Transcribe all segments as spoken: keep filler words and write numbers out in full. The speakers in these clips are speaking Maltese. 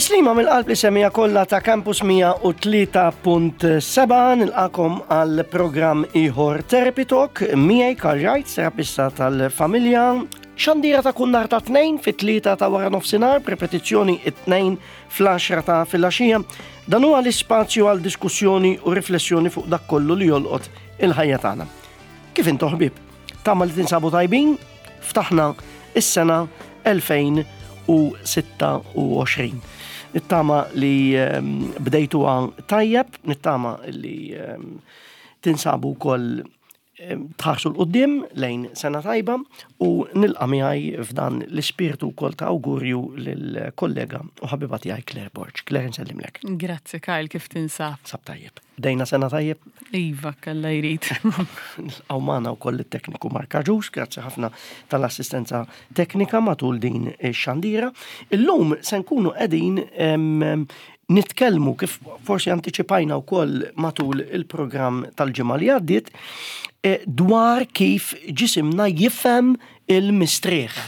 Tislima mill-qalb lis-semmiegħa kollha ta' Campus mija u tlieta punt sebgħa, nilqagħkom għal programm ieħor Therapy Talk miegħi Karl Wright, terapista tal-familja. Xandira ta' kull nhar ta' Tnejn fit-tlieta ta' wara nofsinhar, b'repetizzjoni it-Tnejn fl-għaxra ta' filgħaxija. Dan huwa l-ispazju għal diskussjoni u riflessjoni fuq dak kollu li jolqot il-ħajja tagħna. Kif intom, ħbieb? Tama li tinsabu tajbin, ftaħna is-sena elfejn u sitta u għoxrin. Nittama li ehm, bdejtu tajjeb, nittama li ehm, tinsabu koll ehm, tħarsu 'l quddiem lejn sena tajba u nilqa' miegħi f'dan l-ispirtu wkoll ta' awgurju lill-kollega u ħabiba tiegħi Claire Borg. Claire, nsellimlek. Grazzi Kyle, kif tinsab? Sab tajjeb. Bdejna sena tajjeb. Iva, Alla jrid. Nilqgħu magħna wkoll it-tekniku Mark Aġus, grazzi ħafna tal-assistenza teknika matul din ix-xandira. Illum se nkunu qegħdin em, nitkellmu, kif forsi antiċipajna wkoll matul il-programm tal-ġimgħa li għaddiet, eh, dwar kif ġisimna jifhem il-mistrieħ.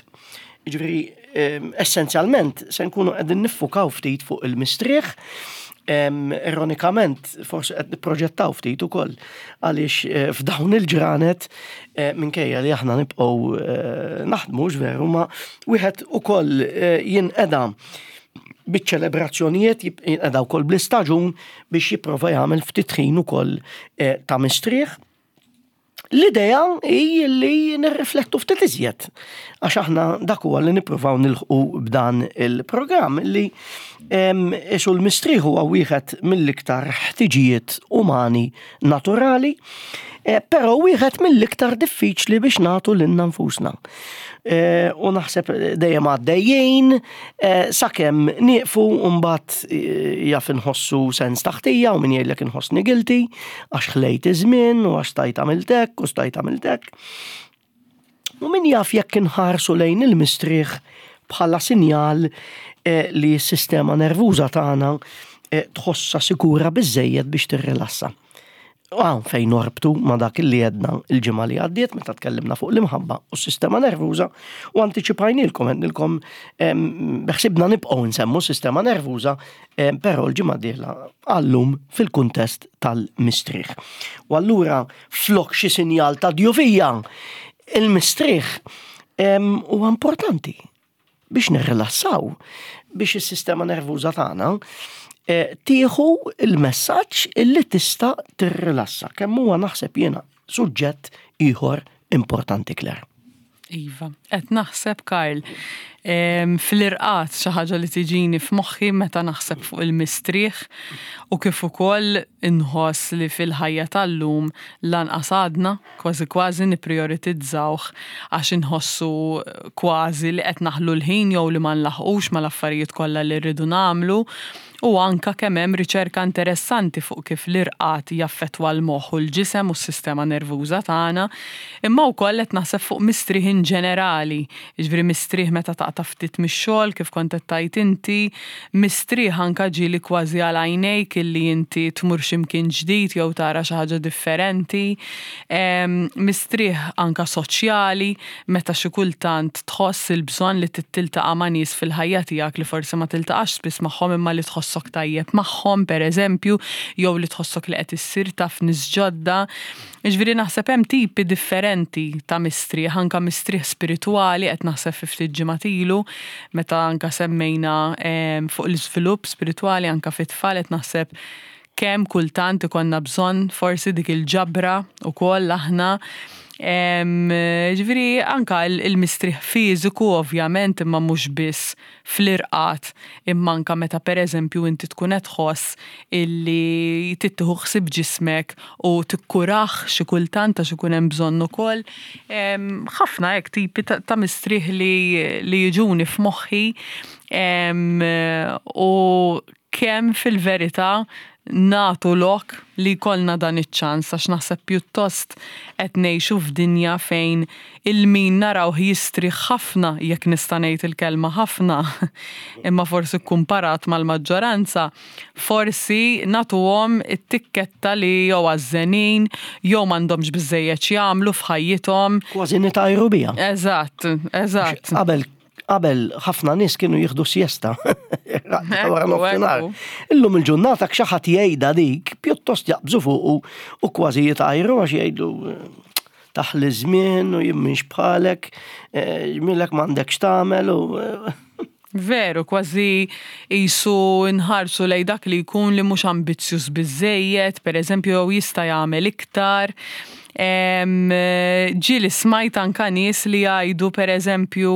Ġifieri, em, essenzjalment se nkunu qegħdin niffukaw ftit fuq il-mistrieħ. Em, ironikament, forsi qed nipproġettaw ftit ukoll għaliex eh, f'dawn il-ġranet eh, minkejja li aħna nibqgħu eh, naħdmu veru, ma wieħed ukoll eh, jinqeda biċ-ċelebrazzjonijiet, jinqeda wkoll bl-istaġun biex jipprova jagħmel ftit ħin ukoll eh, ta' mistrieħ. L-idea hi li nirriflettu ftit iżjed, għax aħna dak huwa li nippruvaw nilħqu b'dan il-programm, li isu l-mistrieħ huwa wieħed mill-iktar ħtiġijiet umani naturali, eh, però wieħed mill-iktar diffiċli biex nagħtu lilna nfusna. Eh, U naħseb dejjem għaddejjin, eh, sakemm nieqfu u mbagħad jaf inħossu sens ta' ħtija u min jgħidlek inħossni guilty għax ħlejt iż-żmien u għax stajt għamilt hekk u stajt għamilt hekk. U min jaf jekk inħarsu lejn il-mistrieħ bħala sinjal eh, li s-sistema nervuża tagħna eh, tħossha sikura biżejjed biex tirrilassa. Hawn fejn norbtu ma dak li għedna il-ġimgħa li għaddiet meta tkellimna fuq l-imħabba u s-sistema nervuża u antiċipajnilkom, għednilkom beħsibna nibqgħu nsemmu sistema nervuża, em, però l-ġimgħa dieħla għallum fil-kuntest tal-mistrieħ. U allura flok xi sinjal ta' djufija, il-mistrieħ em, huwa importanti biex nirrilassaw, biex is-sistema nervuża tagħna eh, tieħu il-messaġġ illi tista' tirrilassa. Kemm huwa, naħseb jiena, suġġett ieħor importanti, Claire. Iva, qed naħseb, Karl, em, fl-irqad xi ħaġa li tiġini f'moħħi meta naħseb fuq il-mistrieħ u kif ukoll inħoss li fil-ħajja tal-lum lanqas għadna kważi kważi nipprioritizzawh, għax inħossu kważi li qed naħlu l-ħin jew li ma nlaħqux mal-affarijiet kollha li rridu nagħmlu, u anka kemm hemm riċerka interessanti fuq kif l-irqad jaffettwa l-moħħ u l-ġisem u s-sistema nervuża tagħna, imma wkoll qed naħseb fuq mistrieħ in ġenerali, jiġifieri mistrieħ meta taqta' ftit mix-xogħol, kif kont qed tgħid inti, mistrieħ anka ġieli kważi għal għajnejk illi inti tmur x'imkien ġdid jew tara xi ħaġa differenti, em, mistrieħ anka soċjali meta xi kultant tħoss il-bżonn li tiltaqa' ma' nies fil-ħajja tiegħek li forsi ma tiltaqax spiss magħhom imma li tħossok tajjeb magħhom, pereżempju, jew li tħossok li qed issir taf nies ġodda. Jiġifieri naħseb hemm tipi differenti ta' mistrieħ, anka mistrieħ spiritwali, qed naħseb fi ftit ġimgħat ilu meta anka semmejna em, fuq l-iżvilupp spiritwali anka fit-tfal, qed naħseb kemm kultant ikollna bżonn forsi dik il-ġabra ukoll aħna. Em, Ġifieri anka il- il-mistrieħ fiżiku ovvjament, imma mhux biss fl-irqad, imma anka meta pereżempju inti tkun qed tħoss illi tieħu ħsieb ġismek u tikkurah xi kultant għax ikun hemm bżonn ukoll. Em, Ħafna hekk tipi ta' ta' mistrieħ li, li jiġuni f'moħħi em, u kemm fil-verità nagħtu lok li jkollna dan iċ-ċans, għax naħseb pjuttost qed ngħixu f'dinja fejn il-min narawh jistrieħ ħafna, jekk nista' ngħid il-kelma ħafna, imma forsi kumparat mal-maġġoranza, forsi nagħtuhom it-tikketta li jew għażżenin jew m'għandhomx biżejjed jagħmlu f'ħajjithom. Kważi nitajru biha. Eżatt, eżatt. Qabel Qabel ħafna nies kienu jieħdu siesta wara nofsinhar. Illum il-ġurnata xi ħadd jgħidha dik, pjuttost jaqbżu fuq u kważi jitgħajru għax jgħidu taħli żmien u jien m'iniex bħalek, ġmielek m'għandekx tagħmel u Veru, kważi qisu nħarsu lej dak li jkun li mhux ambizzjuż biżejjed, per eżempju, jew jista' jagħmel iktar. Ġieli smajt anka nies li jgħidu, per eżempju,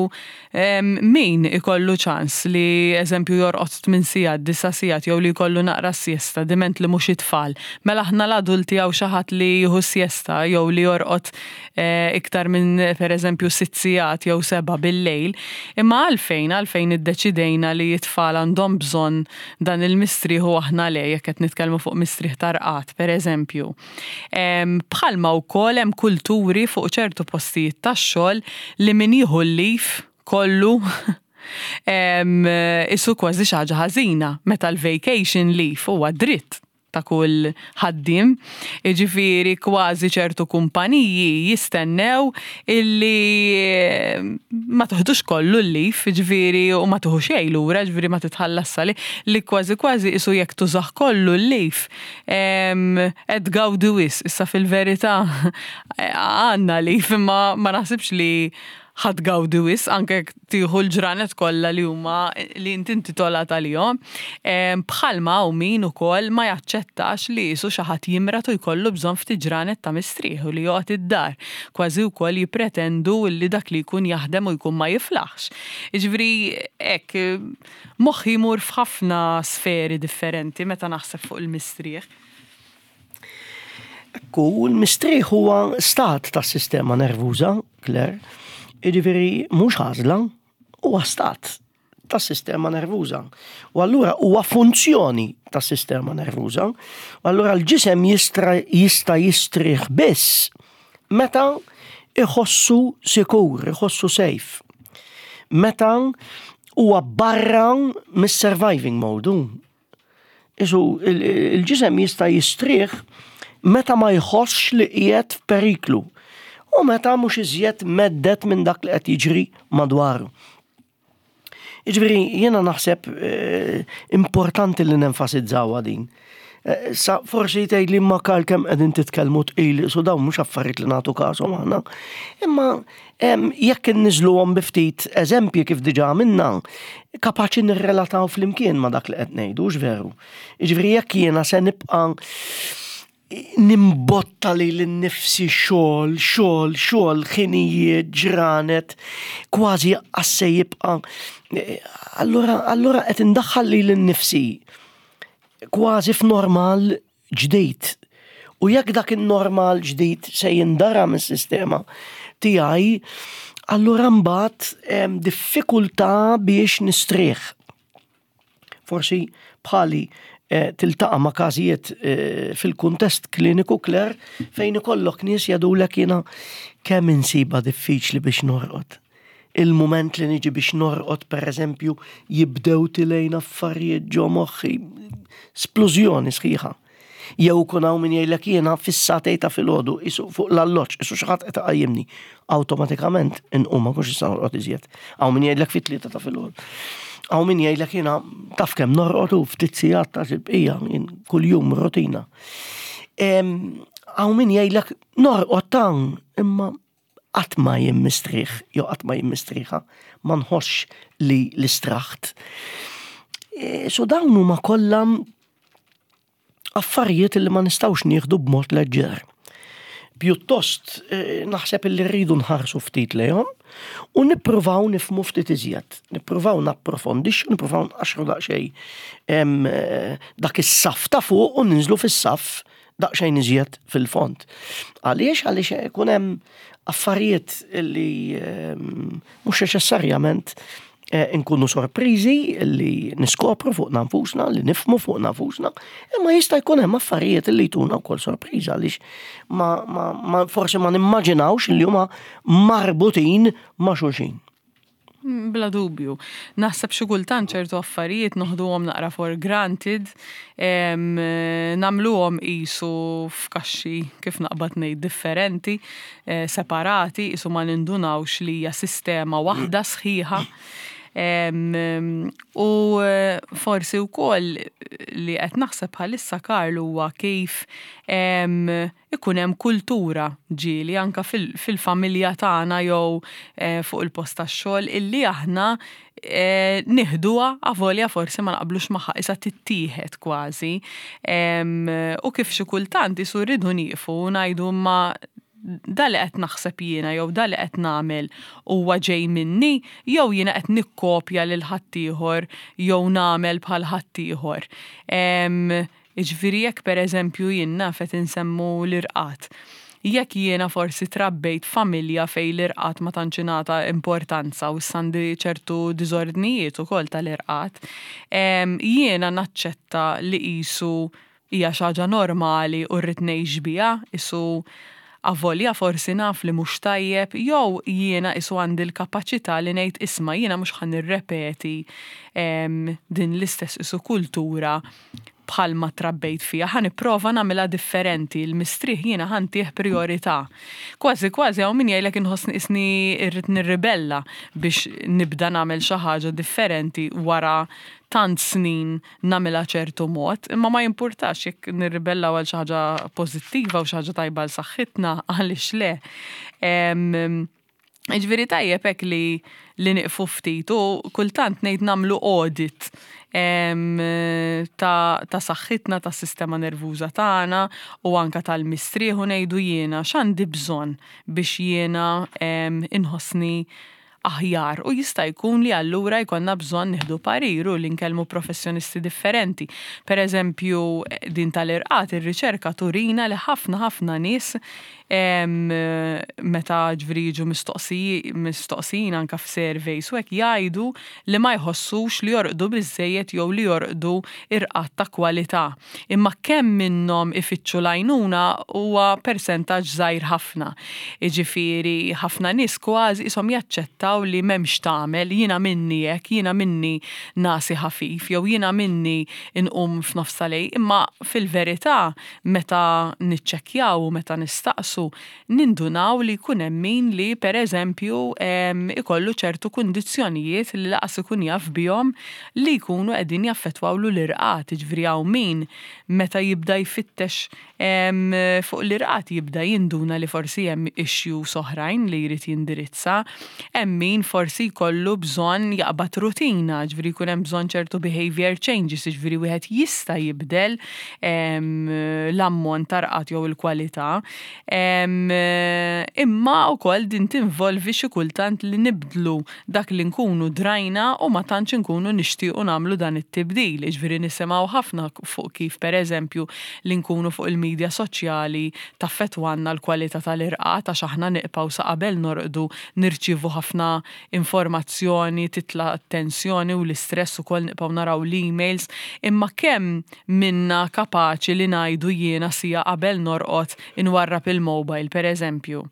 min ikollu ċans li eżempju jorqod tmien sigħat, disa' sigħat, jew li jkollu naqra siesta, diment li mhux it-tfal. Mela aħna l-adulti hawn xi ħadd li jieħu siesta jew li jorqod eh, iktar minn, per eżempju, sitt sigħat jew seba' bil-lejl. Imma għalfejn, għalfejn iddeċidejna li t-tfal għandhom bżonn dan il-mistrieħ u aħna le, jekk qed nitkellmu fuq mistrieħ ta' rqad, per eżempju? Bħalma wkoll hemm kulturi fuq ċertu postijiet tax-xogħol li min jieħu l-leave kollu qisu kważi xi ħaġa ħażina, meta l-vacation leave huwa dritt ta' kull ħaddiem. Jiġifieri kważi ċertu kumpaniji jistennew illi ma toħdux kollu l-leave, jiġifieri u ma tieħu xejn lura, jiġifieri ma titħallas sali, li kważi kważi qisu jekk tużah kollu l-leave qed tgawdi wisq. Issa fil-verità għandna leave, imma ma naħsibx li ħa tgawdi wisq, anke jekk tieħu l-ġranet kollha li huma li inti intitolat għalihom. Bħalma hawn min ukoll ma jaċċettax li qisu xi ħadd jimrad u jkollu bżonn ftit ġranet ta' mistrieħ u li joqgħod id-dar. Kważi wkoll jippretendu li dak li jkun jaħdem u jkun ma jiflaħx. Jiġifieri hekk moħħi jmur f'ħafna sferi differenti meta naħseb fuq il-mistrieħ. Ekku, l-mistrieħ huwa stat tas-sistema nervuża, Claire. Jiġifieri mhux għażla, huwa stat tas-sistema nervuża. U allura huwa funzjoni tas-sistema nervuża. U allura l-ġisem jista' jistrieħ biss meta iħossu sikur, iħossu safe. Meta huwa barra mis-surviving mode. Isu il-ġisem jista' jistrieħ meta ma jħossx li qiegħed f'periklu u meta mhux iżjed mhedded minn dak li qed jiġri madwaru. Jiġifieri jiena naħseb eh, importanti li nenfasizzawha din. Eh, sa forsi tgħid li ma kal kemm qegħdin titkellmu tqil, so dawn mhux affarijiet li nagħtu każhom aħna. Imma jekk inniżluhom bi ftit eżempji kif diġà għamilna, kapaċi nirrelataw flimkien ma dak li qed ngħidu, veru? Jiġifieri jekk jiena se nibqa' nimbotta li l-nifsi xogħol, xogħol, xogħol, ħinijiet, ġranet, kważi għasse jibqa'. Allura, allura qed indaħħal li l-nifsi kważi f'normal ġdid. U jekk dak il-normal ġdid se jindara mis-sistema tiegħi, allura mbagħad diffikultà biex nistrieħ. Forsi bħali eh, tiltaqa' ma' każijiet eh, fil-kuntest kliniku, Claire, fejn ikollok nies jgħidulek, "Jiena kemm insiba diffiċli biex norqod. Il-moment li niġi biex norqod, per eżempju, jibdew tilejn affarijiet ġo moħħi, splużjoni sħiħa." Jew kun hawn min jgħidlek, "Jiena fis-sagħtejn ta' filgħodu qisu fuq l-alloġġ, qisu xi ħadd qed iqajjimni. Awtomatikament inqum, ma nkunx nista' norqod iżjed." Hawn min jgħidlek fit-tlieta ta' filgħodu. Hawn min jgħidlek, "Jiena taf kemm norqod u ftit sigħat ta' il-bqija kuljum rutina." Hawn min jgħidlek, "Norqod tan imma qatt ma jien mistrieħ jew qatt ma jien mistrieħa, ma nħossx li l-istraħt." E, so dawn huma kollha affarijiet li ma nistgħux nieħdu b'mod leġġer. Pjuttost eh, naħseb li rridu nħarsu ftit lejhom u nippruvaw nifhmu ftit iżjed, nippruvaw napprofondixxu, nippruvaw nqaxru daqsxejn eh, dak is-saf ta' fuq u ninżlu fis-saf daqsxejn iżjed fil-fond. Għaliex? Għaliex ikun hemm affarijiet li mhux neċessarjament eh, nkunu sorpriżi li niskopru fuq nfusna, li nifhmu fuq nfusna, imma jista' jkun hemm affarijiet li jtuna wkoll sorpriża għaliex ma, ma, ma forsi ma nimmaġinawx li huma marbutin ma' xulxin. Mm, Bla dubju. Naħseb xi kultant ċertu affarijiet noħduhom naqra for granted, em, nagħmluhom qisu f'kaxxi, kif naqbad ngħid, differenti, eh, separati, qisu ma nindunawx li hija sistema waħda sħiħa. U forsi wkoll li qed naħseb bħalissa, Karl, huwa kif ikun hemm kultura ġieli anka fil-familja tagħna jew eh, fuq il-post tax-xogħol illi aħna eh, nieħduha avolja forsi ma naqblux magħha, issa tittieħed kważi. U kif xi kultant isu rridu nieqfu u ngħidu, "Ma da li qed naħseb jiena jew da li qed nagħmel huwa ġej minni jew jiena qed nikkopja lil ħaddieħor jew nagħmel bħal ħaddieħor?" Jiġifieri jekk, pereżempju, jien naf qed insemmu l-irqad. Jekk jiena forsi trabbejt familja fej l-irqad ma tantx ingħata importanza u għandi ċertu diżordnijiet ukoll tal-irqad, jiena naċċetta li qisu hija xi ħaġa normali u rrid ngħix biha, isu avolja forsi naf li mhux tajjeb, jew jiena isu għandi l-kapaċità li ngħid, "Isma', jiena mhux ħa nirrepeti din l-istess isu kultura bħalma trabbejt fija, ħa nipprova nagħmilha differenti, il-mistrieħ jiena ħa ntih priorità." Kważi kważi hawn min jgħidlek, "Inħossni isni irrid nirribella biex nibda nagħmel xi ħaġa differenti wara tant snin nagħmilha ċertu mod," imma ma jimpurtax jekk nirribellaw għal xi ħaġa pożittiva u xi ħaġa tajba għal saħħitna, għaliex le? Ġifieri tajjeb hekk li li niqfu ftit u kultant ngħid nagħmlu audit ta', ta saħħitna, ta' sistema nervuża tagħna u anka tal-mistrieħ u ngħidu, "Jiena x'għandi bżonn biex jiena inħossni aħjar?" U jista' jkun li allura jkollna bżonn nieħdu parir u li nkellmu professjonisti differenti. Per eżempju, din tal-irqad, ir-riċerka turina li ħafna ħafna nies, meta ġifieri jiġu mistoqsijin anka f'surveys u hekk, jgħidu li ma jħossux li jorqdu biżejjed jew li jorqdu irqad ta' kwalità. Imma kemm minnhom ifittxu l-għajnuna huwa persentaġġ żgħir ħafna. Jiġifieri ħafna nies kważi ishom jaċċettaw li m'hemmx tagħmel, jiena minni hekk, jiena minni nagħsi ħafif jew jiena minni inqum f'nofs lejl, imma fil-verità meta niċċekkjaw u meta nistaqsu nindunaw li jkun hemm min li, pereżempju, ikollu ċertu kundizzjonijiet li lanqas ikun jaf bihom li jkunu qegħdin jaffettwawlu l-irqad. Ġifieri hawn min meta jibda jfittex fuq l-irqad jibda jinduna li forsi hemm issues oħrajn li jrid jindirizza. Hemm min forsi jkollu bżonn jaqbad rutina, ġifieri jkun hemm bżonn ċertu behavior changes, ġifieri wieħed jista' jibdel l-ammont ta' rqad jew il-kwalità. Imma wkoll din tinvolvi xi kultant li nibdlu dak li nkunu drajna u ma tantx nkunu nixtiequ nagħmlu dan it-tibdil. Ġifieri nisimgħu ħafna fuq kif, pereżempju, li nkunu fuq il-medja soċjali taffettwanna l-kwalità tal-irqad, għax aħna nibqgħu sa qabel norqdu nirċievu ħafna informazzjoni, titla' tensjoni u l-istress ukoll, nibqgħu naraw l-emails, imma kemm minna kapaċi li ngħidu, "Jiena siegħa qabel norqod inwarrab il-mobile," per eżempju?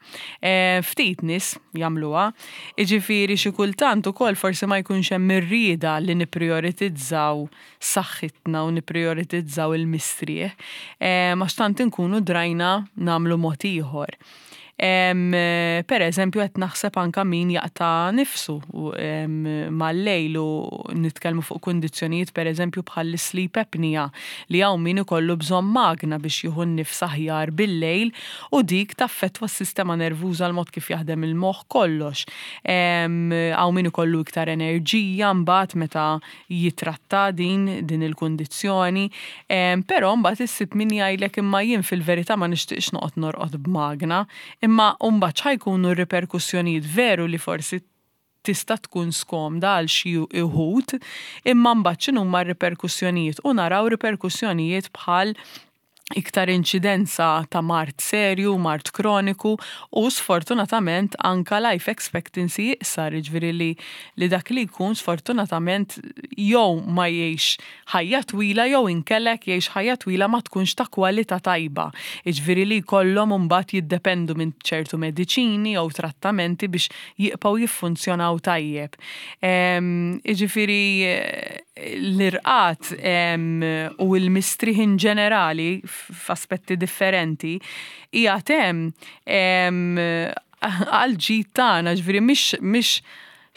E, ftit nies jagħmluha. Jiġifieri xi kultant ukoll forsi ma jkunx hemm ir-rieda li nipprioritizzaw saħħitna u nipprioritizzaw il-mistrieħ, e, ma tant inkunu drajna nagħmlu mod ieħor. Per eżempju, qed naħseb anka min jaqta' nifsu mal-lejl u nitkellmu fuq kundizzjonijiet, per eżempju, bħal sleep apnea, li hawn min ikollu bżonn magna biex jieħu n-nifs aħjar bil-lejl u dik taffettwa s-sistema nervuża, l-mod kif jaħdem il-moħħ, kollox. Hawn min ikollu iktar enerġija mbagħad meta jitratta din din il-kundizzjoni. Però mbagħad issib min jgħidlek, "Imma jien fil-verità ma nixtieqx noqgħod norqod b'magna," imma mbagħad x'ħa jkunu r-riperkussjonijiet? Veru li forsi tista' tkun skomda għal xi wħud, imma mbagħad x'inhuma r-riperkussjonijiet? U naraw riperkussjonijiet bħal iktar inċidenza ta' mard serju, mard kroniku u sfortunatament anka life expectancy iqsar, ġifieri li, li dak li jkun sfortunatament jew ma jgħix ħajja twila jew inkella jgħix ħajja twila ma tkunx ta' kwalità tajba. Ġifieri li jkollhom mbagħad jiddependu minn ċertu mediċini jew trattamenti biex jibqgħu jiffunzjonaw tajjeb. Ġifieri l-irqad u l-mistrieħ in ġenerali f'aspetti differenti hija tem għal ġid tagħna, ġifieri mhix mhix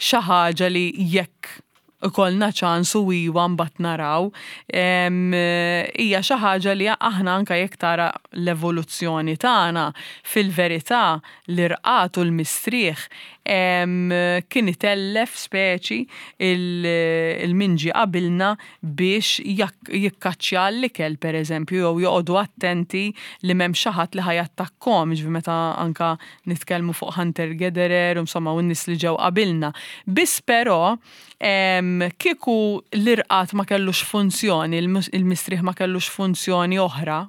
xi ħaġa li jekk ikollna ċans u iwa mbagħad naraw, hija xi ħaġa li aħna anke jekk tara l-evoluzzjoni tagħna, fil-verità l-irqad u l-mistrieħ kien itellef speċi il-min ġie qabilna biex jikkaċċja l-ikel, per eżempju, jew joqogħdu attenti li m'hemm xi ħadd li ħa jattakkhom, ġifieri meta anka nitkellmu fuq hunter gatherer, insomma, u n-nies li ġew qabilna. Biss però kieku l-irqad ma kellux funzjoni, il-mistrieħ ma kellux funzjoni oħra,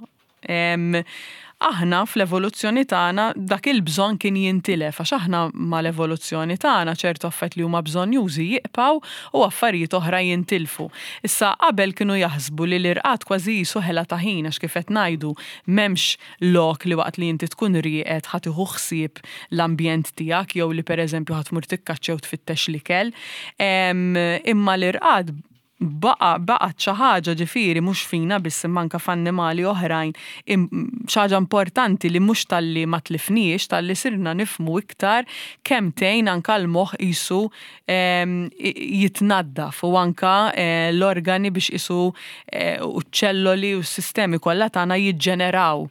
aħna fl-evoluzzjoni tagħna dak il-bżonn kien jintilef, għax aħna mal-evoluzzjoni tagħna ċertu affarijiet li huma bżonnjużi jibqgħu u affarijiet oħra jintilfu. Issa, qabel kienu jaħsbu li l-irqad kważi qisu ħela ta' ħin, għax kif qed ngħidu, m'hemmx lok li waqt li inti tkun rieqed ħa tieħu ħsieb l-ambjent tiegħek jew li, pereżempju, ħa tmur tikkaċċja u tfittex l-ikel. Imma l-irqad baqa baqgħet xi ħaġa, ġifieri mhux fina biss imma anke f'annimali oħrajn, xi ħaġa importanti li mhux talli ma tlifniex, talli sirna nifhmu iktar kemm tgħin anke l-moħħ qisu jitnaddaf u anka eh, l-organi biex qisu eh, u ċ-ċelloli u s-sistemi kollha tagħna jiġġeneraw.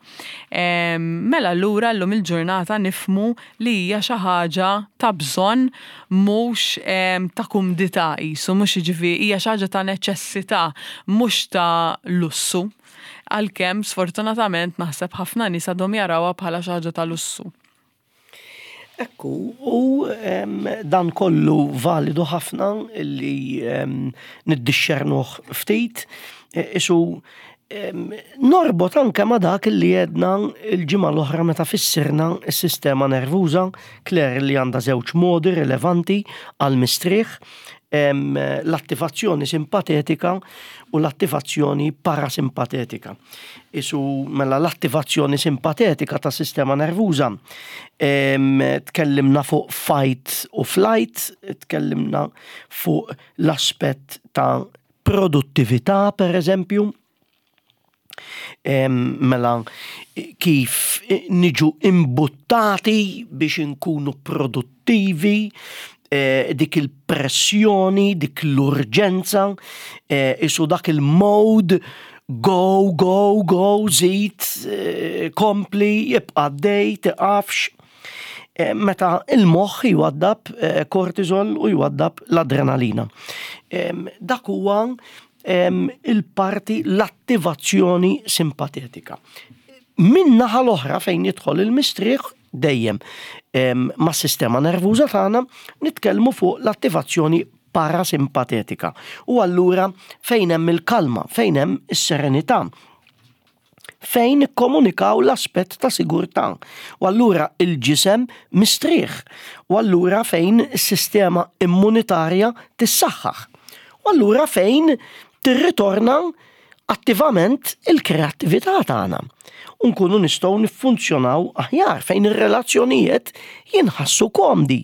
Mela allura llum il-ġurnata nifhmu li hija xi ħaġa ta' bżonn, mhux ta' kumdità qisu, mhux, jiġifieri, hija xi ħaġa ta' neċessità, mhux ta' lussu. Għalkemm sfortunatament naħseb ħafna nies għadhom jarawha bħala xi ħaġa ta' lussu. Ekku, u dan kollu validu ħafna li niddixxernuh ftit, isu norbot anke ma dak li għedna il-ġimgħa l-oħra meta fissirna s-sistema nervuża, Claire, li għandha żewġ modi rilevanti għal mistrieħ, l-attivazzjoni simpatetika u l-attivazzjoni parasimpatetika. Isu mela l-attivazzjoni simpatetika ta' sistema nervuża, tkellimna fuq fight u flight, tkellimna fuq l-aspett ta' produttività, per eżempju, mela kif niġu imbuttati biex inkunu produttivi, eh, dik il-pressjoni, dik l-urġenza, eh, isu dak il-mode, go, go, go, żid, eh, kompli, jibqa' dej, tiqafx. Meta il-moħħ jwaddab kortisol u jwaddab l-adrenalina. Dak huwa il-parti, l-attivazzjoni simpatetika. Min naħa l-oħra, fejn jidħol il-mistrieħ dejjem ma' sistema nervuża tagħna, nitkellmu fuq l-attivazzjoni parasimpatetika. U allura fejn hemm il-kalma, fejn hemm is-serenità, fejn ikkomunikaw l-aspett ta' sigurtà. U allura il-ġisem mistrieħ. U allura fejn is-sistema immunitarja tissaħħaħ. U allura fejn tirritorna attivament il-kreattività tagħna. U nkunu nistgħu niffunzjonaw aħjar, fejn ir-relazzjonijiet jinħassu komdi,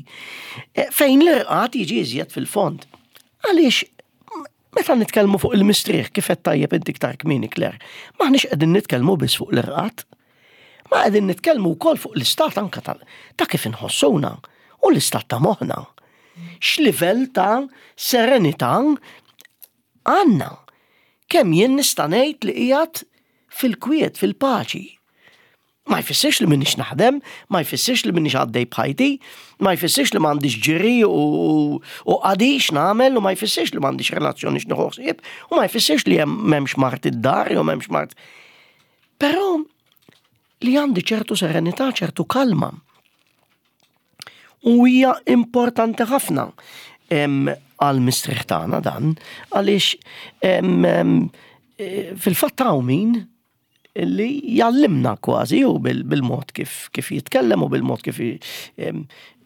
e, fejn l-irqad jiġi iżjed fil-fond. Għaliex meta nitkellmu fuq il-mistrieħ, kif qed tajjeb inti iktar kmieni, Claire, m'aħniex qegħdin nitkellmu biss fuq l-irqad. Ma qegħdin nitkellmu wkoll fuq l-istat anka ta' kif inħossuna u l-istat ta' moħħna. X'livell ta' serenità għandna? Kemm jien nista' ngħid li qiegħed fil-kwiet, fil-paċi? Ma jfissirx li m'iniex naħdem, ma jfissirx li m'iniex għaddej b'ħajti, ma jfissirx li m'għandix ġiri u, u qadi x'nagħmel, u ma jfissirx li m'għandix relazzjoni x'nieħu ħsieb, u ma jfissirx li hemm m'hemmx mart id-dar jew m'hemmx mart. Però li għandi ċertu serenità, ċertu kalma. U hija importanti ħafna għal mistrieħ tagħna dan, għaliex fil-fatt hawn min li jallimna kważi u bil-mod kif, kif jitkellem u bil-mod kif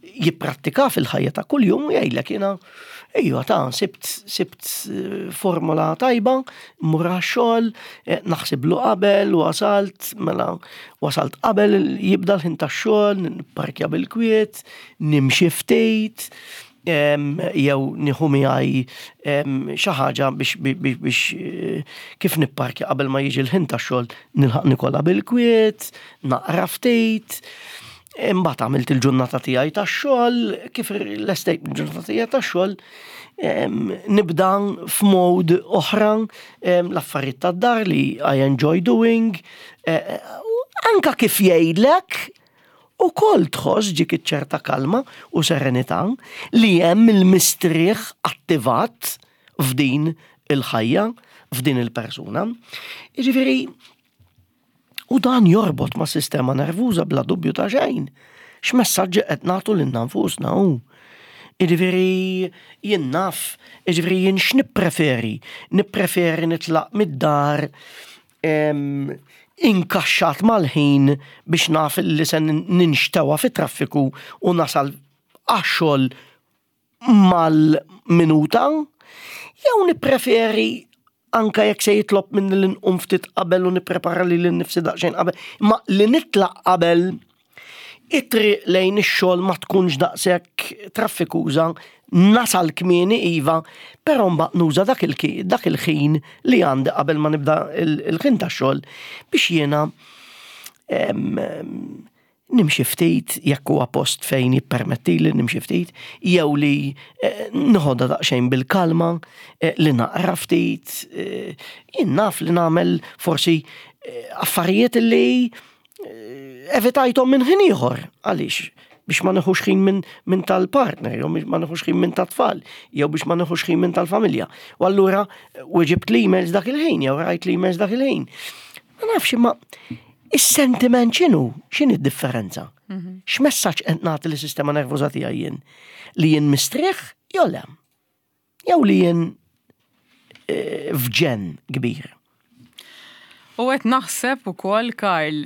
jipprattika fil-ħajja ta' kuljum u jgħidlek, "Jiena ejja ta' sibt sibt eh, formula tajba, mmur għax-xogħol, eh, naħsiblu qabel u wasalt, mela wasalt qabel jibda l-ħin tax-xogħol, nipparkja bil-kwiet, nimxi ftit, jew nieħu miegħi xi ħaġa biex biex eh, kif nipparkja qabel ma jiġi l-ħin tax-xogħol nilħaq nikolha bil-kwiet, naqra ftit." Imbagħad għamilt il-ġurnata tiegħi tax-xogħol, kif lestejt il-ġurnata tiegħi tax-xogħol, nibda f'mode oħra, l-affarijiet tad-dar li I enjoy doing, eh, anka kif jgħidlek, u kol tħoss ġik ċerta kalma u serenità li hemm il-mistrieħ attivat f'din il-ħajja, f'din il-persuna. Jiġifieri, u dan jorbot ma' sistema nervuża bla dubju ta' xejn. X'messaġġi qed nagħtu lilna nfusna hu? Jiġifieri jien naf, jiġifieri jien x'nippreferi? Nippreferi nitlaq mid-dar inkaxxat mal-ħin biex naf li se ninxtewa fit-traffiku u nasal għax-xogħol mal-minuta, jew nippreferi anka jekk se jitlob minn li nqum ftit qabel u nipprepara lili nnifsi daqsxejn qabel, ma li nitlaq qabel, it-triq lejn ix-xogħol ma tkunx daqshekk traffikuża, nasal kmieni iva, però mbagħad nuża dak il-ħin li għandi qabel ma nibda il-ħin tax-xogħol biex jiena nimxi ftit, jekk huwa post fejn jippermetti li nimxi ftit, jew li eh, nħodha daqsxejn bil-kalma, eh, li naqra ftit, eh, jien naf li nagħmel forsi affarijiet li evitajthom minn ħin ieħor. Għaliex? Biex ma neħux ħin minn min tal-partner, jew biex ma neħux ħin minn tat-tfal, jew biex ma neħux ħin minn tal-familja. U allura weġibt l-emails dak il-ħin, jew rajt l-emails dak il-ħin. Ma nafx, imma is-sentiment x'inhu? X'inhi d-differenza? Mhm. X'messaġġ qed nagħti lis-sistema nervuża tiegħi jien? Li jien mistrieħ jew le? Jew li jien eh, f'ġenn kbir? U qed naħseb ukoll, Karl,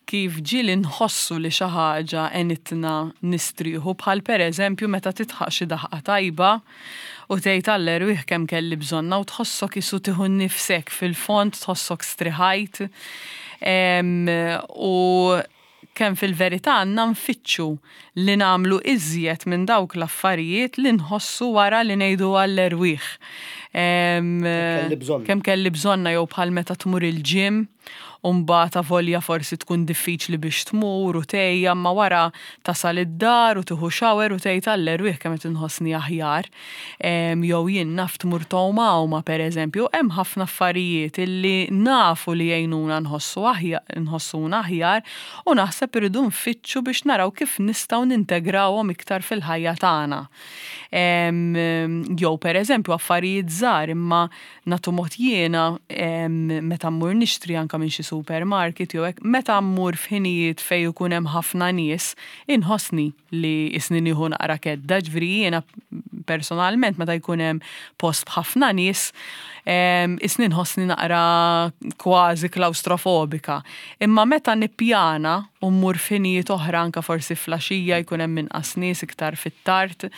kif ġieli nħossu li xi ħaġa għenitna nistrieħu, bħal pereżempju meta tidħaq xi daħqa tajba u tgħid, "Għall-erwieħ, kemm kelli bżonna", u tħossok isu tieħu nifsek fil-fond, tħossok striħajt. U kemm fil-verità għandna nfittxu li nagħmlu iżjed minn dawk l-affarijiet li nħossu wara li ngħidu, "Għall-erwieħ. Kemm kelli bżonna", jew bħal meta tmur il-gym u mbagħad avolja forsi tkun diffiċli biex tmur u tgħejja, ma wara tasal id-dar u tieħu shower u tgħid, "Għall-erwieħ, kemm qed inħossni aħjar". Jew jien naf tmur tgħum għawma pereżempju, hemm ħafna affarijiet illi nafu li jgħinuna nħossu aħjar, nħossuna aħjar, u naħseb irridu nfittxu biex naraw kif nistgħu nintegrawhom iktar fil-ħajja tagħna. Jew pereżempju affarijiet żgħar, imma nagħtu mod jiena meta mmur nixtri anka minn xi supermarket jew hekk, meta mmur f'ħinijiet fejn ikun hemm ħafna nies, inħossni li isni nieħu naqra kedda. Ġifieri jiena personalment meta jkun hemm post b'ħafna nies, isni nħossni naqra kważi klaustrofobika. Imma meta nippjana u mmur f'ħinijiet oħra, anka forsi filgħaxija jkun hemm inqas nies, iktar fit-tard,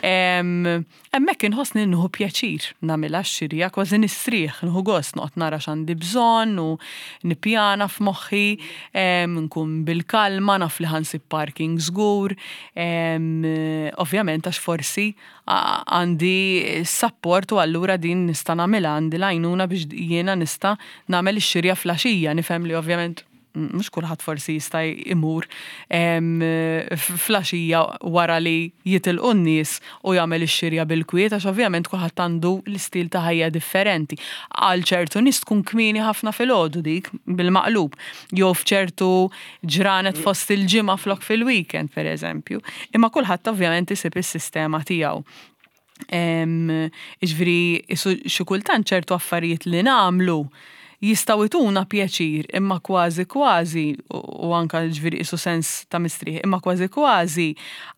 hemmhekk inħossni nieħu pjaċir nagħmilha x-xirja, kważi nistrieħ, nieħu gost noqgħod nara x'għandi bżonn u nippjana f'moħħi, nkun bil-kalma, naf li ħa nsib parking żgur, ovvjament għax forsi għandi support u allura din nista' nagħmilha, għandi l-għajnuna biex jiena nista' nagħmel ix-xirja filgħaxija. Nifhem li ovvjament mhux kulħadd forsi jista' imur filgħaxija wara li jitilqu n-nies u jagħmel ix-xirja bil-kwiet, għax ovvjament kulħadd għandu l-istil ta' ħajja differenti. Għal ċertu nies tkun kmieni ħafna filgħodu dik bil-maqlub, jew f'ċertu ġranet fost il-ġimgħa flok fil-weekend pereżempju. Imma kulħadd ovvjament isib is-sistema tiegħu. Jiġifieri xi kultant ċertu affarijiet li nagħmlu jistgħu jtuna pjaċir, imma kważi kważi, u anka ġifieri isu sens ta' mistrieħ, imma kważi kważi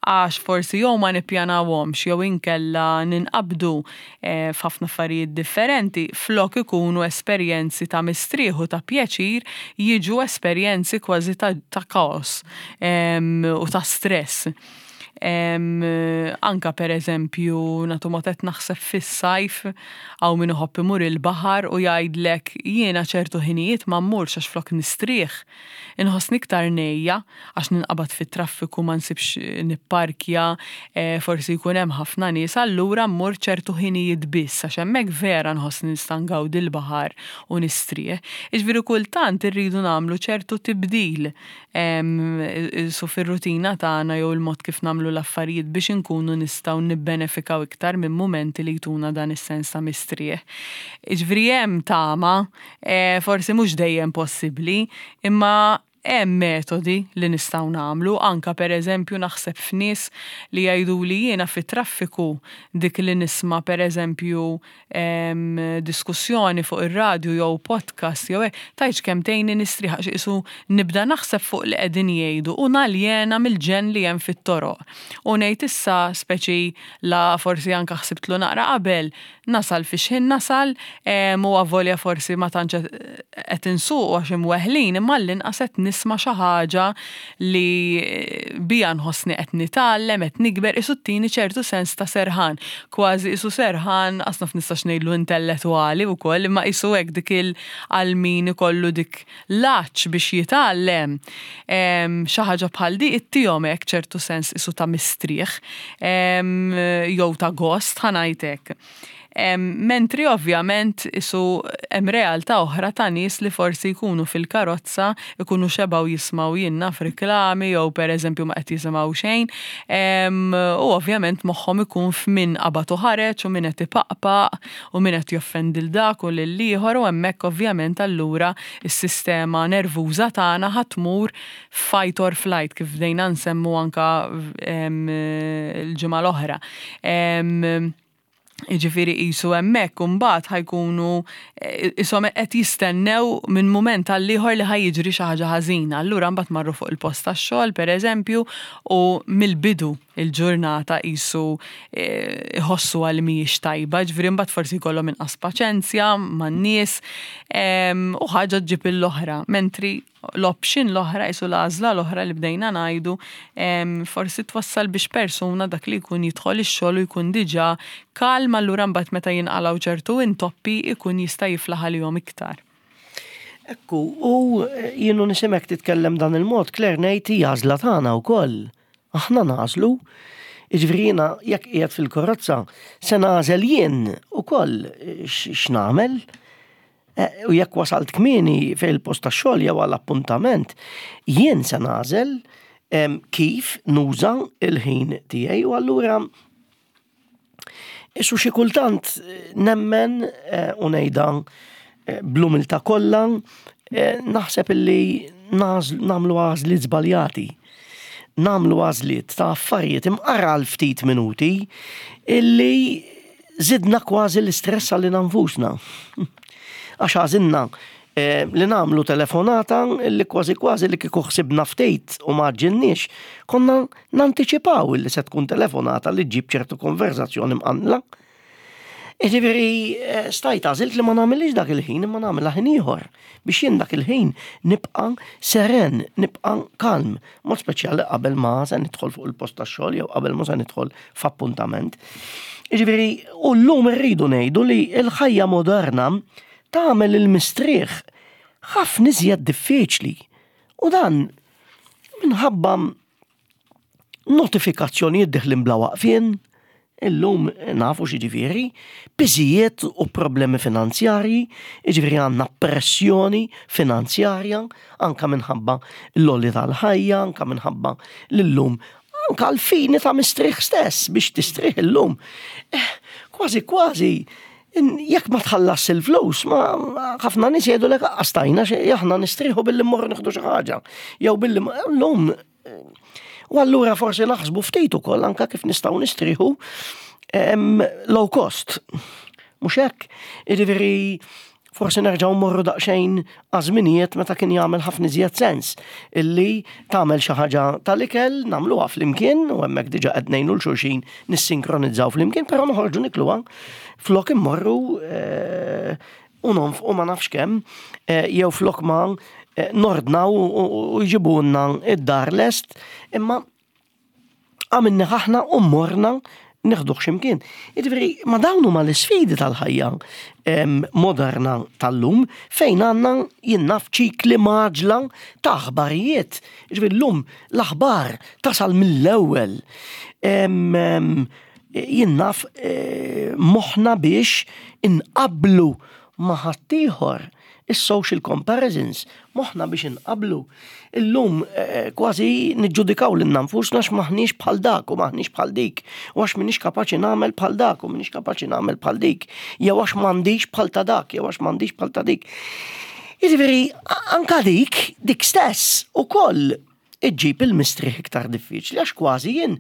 għax forsi jew ma nippjanawhomx jew inkella ninqabdu eh, f'ħafna affarijiet differenti, flok ikunu esperjenzi ta' mistrieħ u ta' pjaċir, jiġu esperjenzi kważi ta', ta kaos u ta' stress. Anka per eżempju, nagħtu mod, qed naħseb fis-sajf, hawn min iħobb imur il-baħar u jgħidlek, "Jiena ċertu ħinijiet ma mmurx għax flok nistrieħ, inħossni iktar ngħejja għax ninqabad fit-traffiku, ma nsibx nipparkja, eh, forsi jkun hemm ħafna nies, allura mmur ċertu ħinijiet biss għax hemmhekk vera nħossni nista' ngawdi l-baħar u nistrieħ." Jiġifieri kultant irridu nagħmlu ċertu tibdil su fir-rutina tagħna jew il-mod kif nagħmlu l-affarijiet biex inkunu nistgħu nibbenefikaw iktar minn momenti li jtuna dan is-sens ta' mistrieħ. Jiġifieri hemm tama, e, forsi mhux dejjem possibbli, imma hemm metodi li nistgħu nagħmlu. Anka per eżempju naħseb f'nies li jgħidu li jiena fit-traffiku dik li nisma' per eżempju diskussjoni fuq ir-radju jew podcast jew hekk, tgħidx kemm tgħinni nistrieħ għax qisu nibda naħseb fuq li qegħdin jgħidu u naljena mill-ġenn li hemm fit-toroq. U ngħid issa speċi la forsi anka ħsibtlu naqra qabel, nasal fi xħin nasal, u avolja forsi ma tantx qed insuq għax imweħlin, imma l-inqas qed nisma' xi ħaġa li bija nħossni qed nitgħallem, qed nikber, qisu ttini ċertu sens ta' serħan. Kważi qisu serħan, qas naf nistax ngħidlu intellettwali wkoll, imma qisu hekk dik il għal min ikollu dik l-għatx biex jitgħallem. Xi ħaġa bħal di ittihom hekk ċertu sens qisu ta' mistrieħ jew ta' gost, ħa ngħidlek. Mentri ovvjament qisu hemm realtà oħra ta' nies li forsi jkunu fil-karozza, ikunu xebgħu jismgħu, jien naf, reklami jew per eżempju ma qed jisimgħu xejn. U ovvjament moħħhom ikun f'min qabad u ħareġ u min qed ipaqpaq u min qed joffendi lil dak u lil ieħor, u hemmhekk ovvjament allura s-sistema nervuża tagħna ħa tmur fight or flight, kif bdejna nsemmu anka l-ġimgħa l-oħra. Jiġifieri qisu hemmhekk imbagħad ħa jkunu qishom qed jistennew minn mument għal ieħor li ħa jiġri xi ħaġa ħażina. Allura mbagħad marru fuq il-post tax-xogħol pereżempju u mill-bidu il-ġurnata qisu iħossu għal mhijiex tajba, ġifieri mbagħad forsi jkollhom inqas paċenzja man-nies u ħaġa ġġib l-oħra. Mentri l-option l-oħra, qisu l-għażla l-oħra li bdejna ngħidu, forsi twassal biex persuna dak li jkun jidħol ix-xogħol u jkun diġà kalm, allura mbagħad meta jinqalgħu ċertu intoppi ikun jista' jiflaħ għalihom iktar. Ekku, u jien u nismgħek titkellem dan il-mod, Claire, ngħid hija għażla tagħna wkoll. Aħna nagħżlu. Jiġifieri jiena jekk qiegħed fil-karozza se nagħżel jien ukoll x'nagħmel. U jekk wasalt kmieni fil-post tax-xogħol jew għall appuntament, jien se nagħżel kif nuża il-ħin tiegħi. U allura qisu xi kultant nemmen, u ngħidha bl-umiltà kollha, naħseb illi nagħmlu għażliet żbaljati. Nagħmlu għażliet ta' affarijiet imqar għal ftit minuti illi żidna kważi l-istress għalina nfusna. Għax għażilna li nagħmlu telefonata li kważi kważi li kieku ħsibna ftit u ma għaġġilniex, konna nantiċipaw li se tkun telefonata li ġġib ċertu konverzazzjoni mqanqla. Jiġifieri stajt għażilt li ma nagħmilx dak il-ħin imma nagħmilha ħin ieħor biex jien dak il-ħin nibqa' seren, nibqa' kalm, mod speċjali qabel ma se nidħol fuq il-post tax-xogħol jew qabel ma se nidħol f'appuntament. Jiġifieri, u llum irridu ngħidu li l-ħajja moderna tagħmel il-mistrieħ ħafna iżjed diffiċli. U dan minħabba notifikazzjonijiet deħlin bla waqfien, illum nafu x'jiġifieri, piżijiet u problemi finanzjarji, jiġifieri għandna pressjoni finanzjarja, anka minħabba l-għoli tal-ħajja, anka minħabba l-lum, anka l-fini ta' mistrieħ stess biex tistrieħ illum. Eh, kważi kważi, jekk ma tħallas il-flus, ma ħafna nies jgħidu lek għastajna aħna nistrieħu billi mmorru nieħdu xi ħaġa. Jew billi llum. U allura forsi naħsbu ftit ukoll anka kif nistgħu nistrieħu low cost. Mhux hekk, jiġifieri forsi nerġgħu mmorru daqsxejn għaż-żminijiet meta kien jagħmel ħafna iżjed sens illi tagħmel xi ħaġa tal-ikel, nagħmluha flimkien u hemmhekk diġà qed ngħinu lil xulxin nissinkronizzaw flimkien, però noħorġu nikluha flok immorru u nonfqu ma nafx kemm, jew flok ma nordnaw u jġibulna id-dar lest, imma Għamilna aħna u morna neħduh x'imkien. Jiġifieri, ma dawn huma l-isfidi tal-ħajja moderna tal-lum fejn għandna jien naf ċikli mgħaġġla ta' aħbarijiet. Jiġifieri llum l-aħbar tasal mill-ewwel. Jien naf eh, moħħna biex inqablu ma' ħaddieħor is-social comparisons, moħħna biex inqablu. Illum eh, kważi niġġudikaw lilna nfusna x'maħniex bħal dak u maħniex bħal dik, u għax minix kapaċi nagħmel bħal dak u minix kapaċi nagħmel bħal dik, jew għax m'għandix bħal ta' dak, jew għax m'għandix bħal ta' dik. Jiġifieri anka dik, dik stess ukoll iġġib il-mistrieħ iktar diffiċli għax kważi jien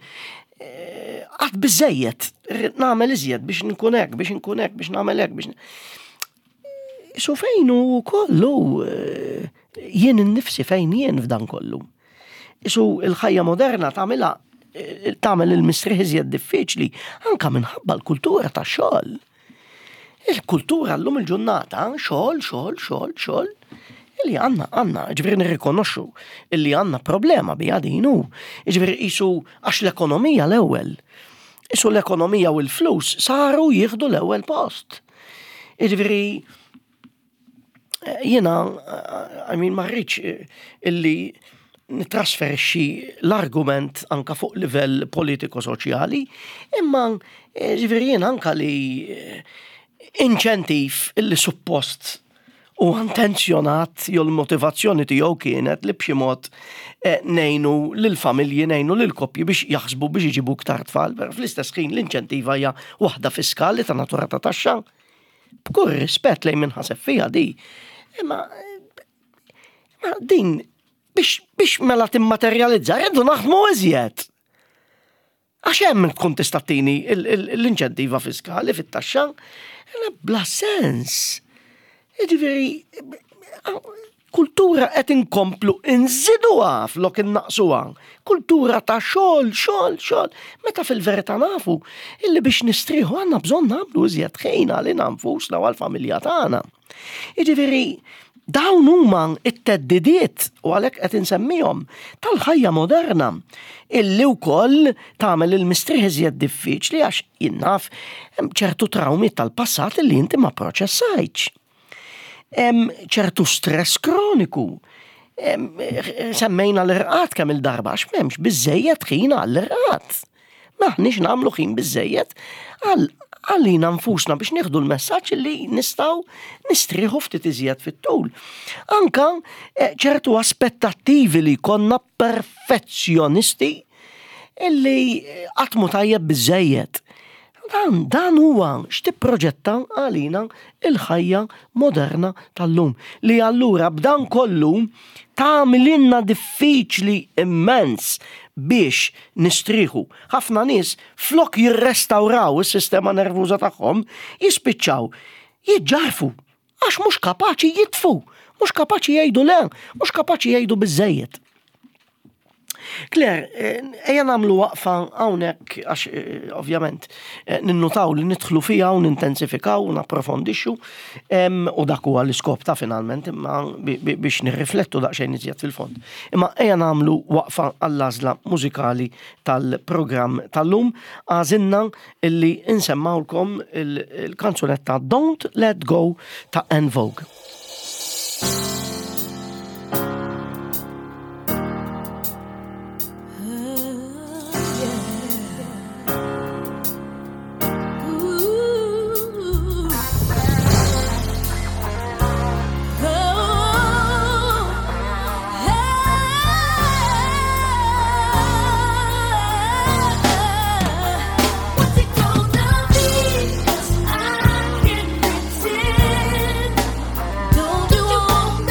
eh, għad biżejjed, nagħmel iżjed biex nkun hekk, biex nkun hekk, biex nagħmel hekk, biex So fejn u kollu eh, jien innifsi fejn jien f'dan kollu. Isu il-ħajja moderna tagħmilha eh, tagħmel il-mistrieħ iżjed diffiċli anka minħabba l-kultura ta' xogħol. Il-kultura llum il-ġurnata xogħol, xogħol, xogħol, xogħol. Illi għandna, għandna, ġifieri nirrikonoxxu illi għandna problema bi din u. Ġifieri isu għax l-ekonomija l-ewwel. Isu l-ekonomija u l-flus saru jieħdu l-ewwel post. Ġifieri jiena, I mean, ma rridx illi nitrasferixxi l-argument anka fuq livell politiko-soċjali, imma ġifieri jien anka li inċentiv illi suppost u intenzjonat jew l-motivazzjoni tiegħu kienet li b'xi mod ngħinu lill-familji, ngħinu lill-koppji biex jaħsbu biex iġibu iktar tfal, però fl-istess ħin l-inċentiva hija waħda fiskali ta' natura ta' taxxa. B'kull rispett lejn min ħaseb fiha di. Imma ma din biex, biex mela timmaterjalizza, rridu naħdmu iżjed. Għax hemm tkun tista' tini l-inċentiva fiskali fit-taxxa, bla sens. Jiġifieri, kultura qed inkomplu inżiduha flok innaqsuha. Kultura ta' xogħol, xogħol, xogħol. Meta fil-verità nafu illi biex nistrieħu għandna bżonn nagħmlu iżjed ħin għalina nfusna u għall-familja tagħna. Jiġifieri, dawn huma it-theddidiet u għalhekk qed insemmihom tal-ħajja moderna illi wkoll tagħmel il-mistrieħ iżjed diffiċli għax jien naf hemm ċertu trawmi tal-passat illi inti ma proċessajtx. Hemm ċertu stress kroniku. Semmejna l-irqad kemm il-darba għax m'hemmx biżejjed ħin għall-irqad. M'aħniex nagħmlu ħin biżejjed għal għalina nfusna biex nieħdu l-messaġġ li nistgħu nistrieħu ftit iżjed fit-tul. Anka ċertu aspettattivi li konna perfezzjonisti illi qatt mhu tajjeb biżejjed. Dan, dan huwa x'tipproġetta għalina il-ħajja moderna tal-lum. Li allura b'dan kollu tagħmililna diffiċli immens biex nistrieħu. Ħafna nies flok jirrestawraw is-sistema nervuża tagħhom jispiċċaw jiġġarfu għax mhux kapaċi jitfu, mhux kapaċi jgħidu le, mhux kapaċi jgħidu biżejjed. Claire, ejja nagħmlu waqfa hawnhekk għax ovvjament ninnutaw li nidħlu fiha u nintensifikaw u napprofondixxu u dak huwa l-iskop ta' finalment imma biex nirriflettu daqsxejn iżjed fil-fond. Imma ejja nagħmlu waqfa għall-għażla mużikali tal-programm tal-lum għażilna illi insemmawlkom il-kanzunetta Don't Let Go ta' En Vogue. Don't you want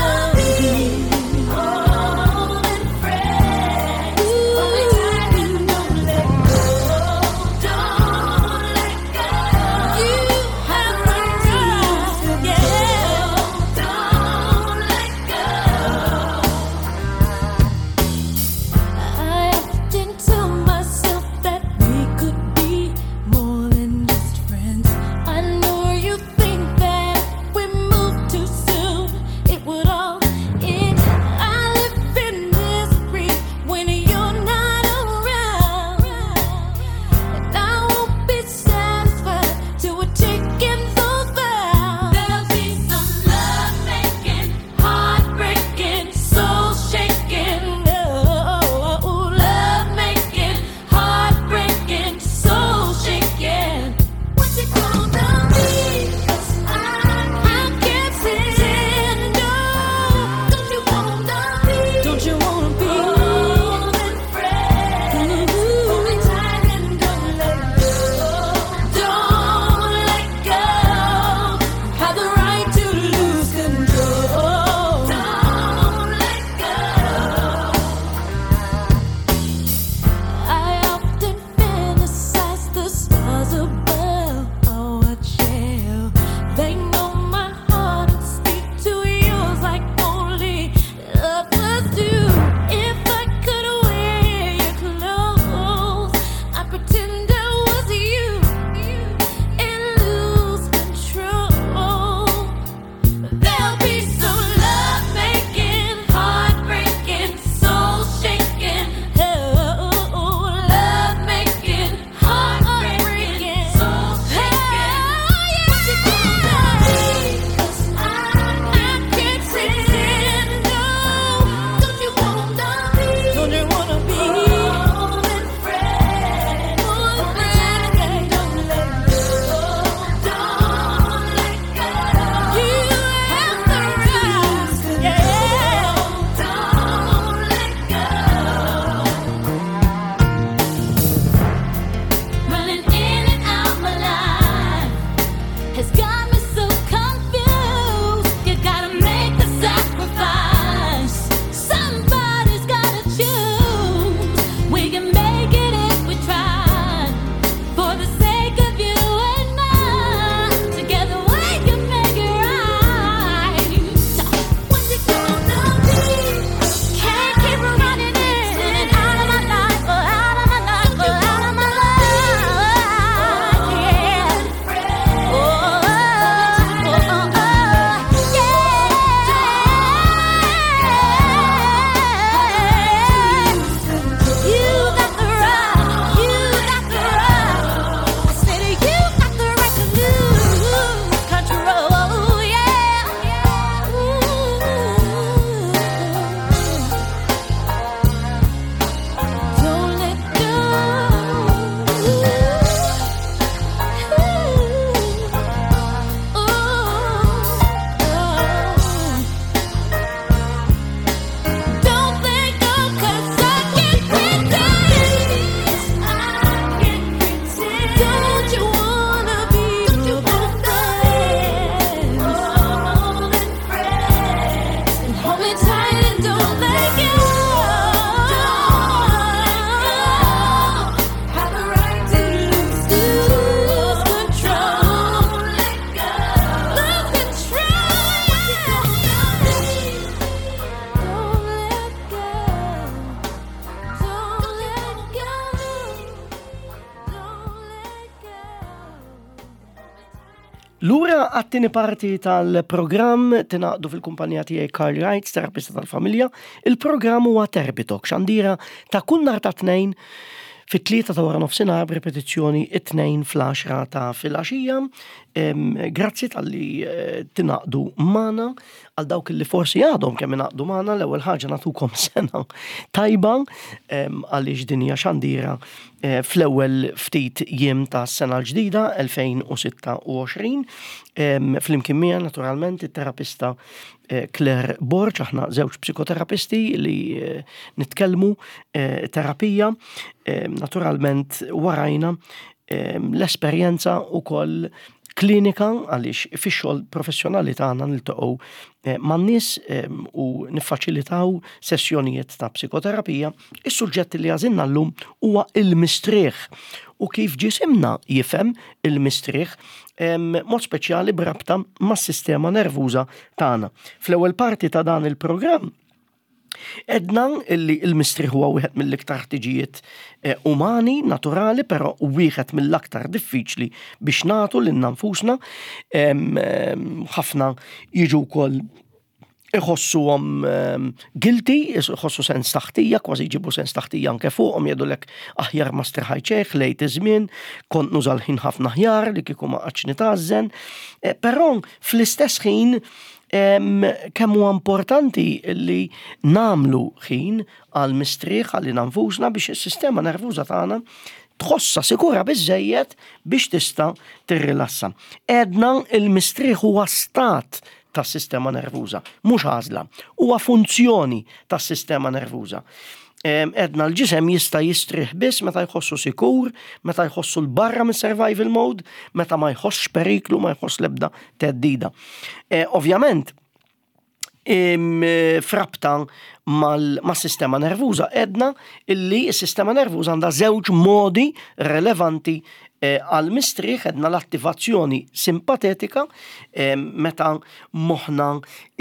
Lura għat-tieni parti tal-programm tingħaqdu fil-kumpanija tiegħi Karl Wright, terapista tal-familja. Il-programm huwa Therapy Talk, xandira ta' kull nhar ta' Tnejn fit-tlieta ta' wara nofsinhar, b'ripetizzjoni it-Tnejn fl-għaxra ta' filgħaxija. Grazzi talli eh, tingħaqdu magħna. Għal dawk li forsi għadhom kemm ingħaqdu magħna, l-ewwel ħaġa nagħtukom sena tajba, għaliex din hija xandira eh, fl-ewwel ftit jiem ta' sena l-ġdida elfejn u sitta u għoxrin. Flimkien miegħi naturalment it-terapista eh, Claire Borg, aħna żewġ psikoterapisti li eh, nitkellmu terapija, naturalment warajna l-esperjenza u koll klinika, għaliex fix-xogħol professjonali tagħna niltaqgħu eh, man-nies eh, u niffaċilitaw sessjonijiet ta' psikoterapija. Is-suġġett li għażilna llum huwa il-mistrieħ u kif ġisimna jifhem il-mistrieħ, mod speċjali b'rabta mas-sistema nervuża tagħna. Fl-ewwel parti ta' dan il-programm għedna illi il-mistrieħ huwa wieħed mill-iktar ħtiġijiet eh, umani, naturali, però wieħed mill-aktar diffiċli biex nagħtu lil nfusna. Ħafna jiġu wkoll iħossuhom guilty, iħossu sens ta' ħtija, kważi jġibu sens ta' ħtija anke fuqhom, jgħidulek aħjar ma striħajt, lejt iż-żmien, kont nuża l-ħin ħafna aħjar li kieku ma qgħadx nitgħażżen. Eh, però fl-istess ħin kemm huwa importanti li nagħmlu ħin għal mistrieħ għal nfusna biex is-sistema nervuża tagħna tħossa sikura biżejjed biex tista' tirrilassa. Għedna il-mistrieħ huwa stat tas-sistema nervuża, mhux għażla, huwa funzjoni tas-sistema nervuża. Għedna l-ġisem jista' jistrieħ biss meta jħossu sikur, meta jħossu 'l barra minn survival mode, meta ma jħossx periklu, ma jħoss lebda theddida. E, ovvjament, f'rabta mal-sistema nervuża, għedna illi s-sistema nervuża għandha żewġ modi relevanti eh, għal mistrieħ. Għedna l-attivazzjoni simpatetika, meta moħna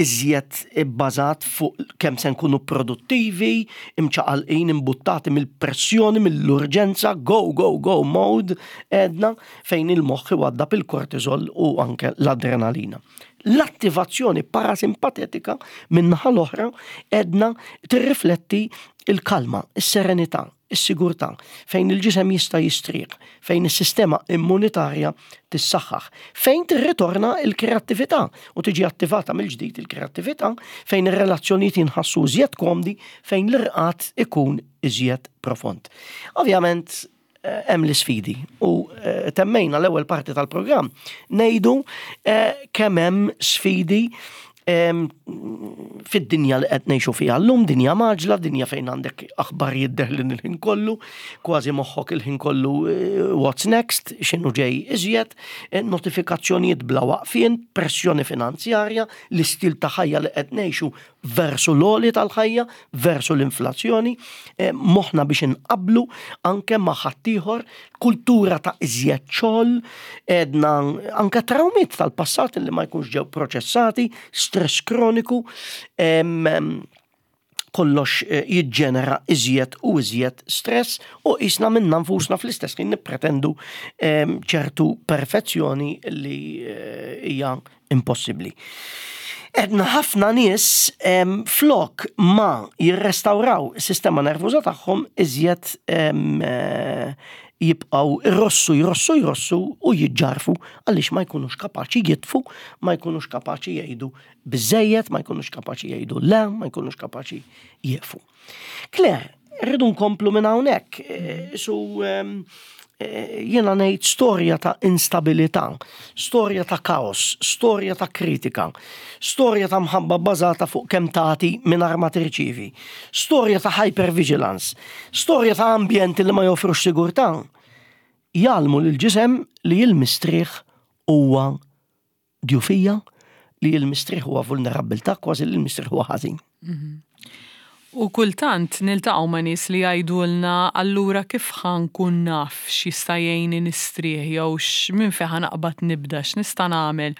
iżjed bbażat fuq kemm se nkunu produttivi, imċaqalqin, imbuttati mill-pressjoni, mill-urġenza, go, go, go mode, għedna fejn il-moħħ iwaddab il-kortizol u anke l-adrenalina. L-attivazzjoni parasimpatetika min-naħa l-oħra għedna tirrifletti il-kalma, is-serenità, is-sigurtà, fejn il-ġisem jista' jistrieħ, fejn is-sistema immunitarja tissaħħaħ, fejn tirritorna il-kreattività u tiġi attivata mill-ġdid il-kreattività, fejn ir-relazzjonijiet jinħassu iżjed komdi, fejn l-irqad ikun iżjed profond. Ovvjament, eh, hemm l-isfidi u eh, temmejna l-ewwel parti tal-programm ngħidu eh, kemm hemm sfidi fid-dinja li qed ngħixu fiha llum, dinja mgħaġġla, dinja fejn għandek aħbarijiet deħlin il-ħin kollu, kważi moħħok il-ħin kollu what's next, x'inhu ġej iżjed, notifikazzjonijiet bla waqfien, pressjoni finanzjarja, l-istil ta' ħajja li qed ngħixu versu l-għoli tal-ħajja, versu l-inflazzjoni, moħħna biex inqablu anke ma' ħaddieħor, kultura ta' iżjed xogħol, għedna anke trawmiet tal-passat li ma jkunx ġew proċessati, stress kroniku, kollox eh, jiġġenera iżjed u iżjed stress u qisna minna nfusna fl-istess ħin nippretendu ċertu perfezzjoni li eh, hija impossibbli. Għedna ħafna nies flok ma jirrestawraw is-sistema nervuża tagħhom iżjed eh, jibqaw irrossu, jrossu, jrossu u jiġġarfu għaliex ma jkunux kapaċi jitfu, ma jkunux kapaċi jgħidu biżejjed, ma jkunux kapaċi jgħidu le, ma jkunux kapaċi jieqfu. Claire, rridu nkomplu minn hawnhekk. Eh, su eh, jiena ngħid storja ta' instabilità, storja ta' kaos, storja ta' kritika, storja ta' mħabba bbażata fuq kemm tagħti mingħajr ma tirċievi, storja ta' hypervigilance, storja ta' ambjenti li ma joffrux sigurtà. Jgħallmu lil ġisem li l-mistrieħ huwa djufija, li l-mistrieħ huwa vulnerabbiltà, kważi li l-mistrieħ huwa ħażin. Mhm. U kultant niltaqgħu ma' nies li jgħidulna: "Allura kif ħa nkun naf x'jista' jgħinni nistrieħ jew minn fejn ħa naqbad nibda, x'nista' nagħmel?"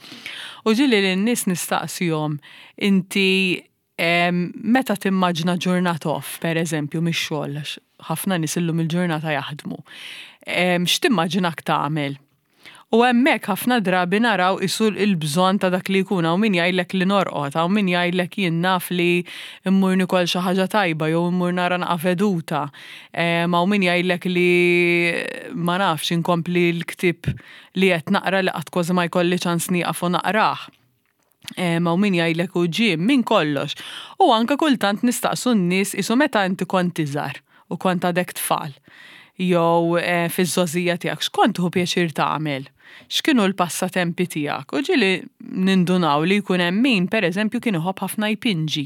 U ġieli lin-nies nistaqsihom: "Inti meta timmaġna ġurnata off, per eżempju, mix-xogħol, ħafna nies illum il-ġurnata jaħdmu. X'timmaġinak tagħmel?" U hemmhekk ħafna drabi naraw isu il-bżonn ta' dak li jkun. Hawn min jgħidlek li norqod, hawn min jgħidlek jien naf li mmur nikol xi ħaġa tajba jew immur nara naqa veduta. Hawn min jgħidlek li, ma nafx, inkompli l-ktieb li qed naqra li qatt kważi ma jkolli ċans nieqaf u naqrah. Hawn min jgħidlek u gym, minn kollox. U anka kultant nistaqsu n-nies isu meta inti kont iżgħar u kont għadek tfal jew eh, fiż-żgħożija tiegħek, x'kont tieħu pjaċir tagħmel? X'kienu l-passatempi tiegħek? U ġieli nindunaw li jkun hemm min, pereżempju, kien iħobb ħafna jpinġi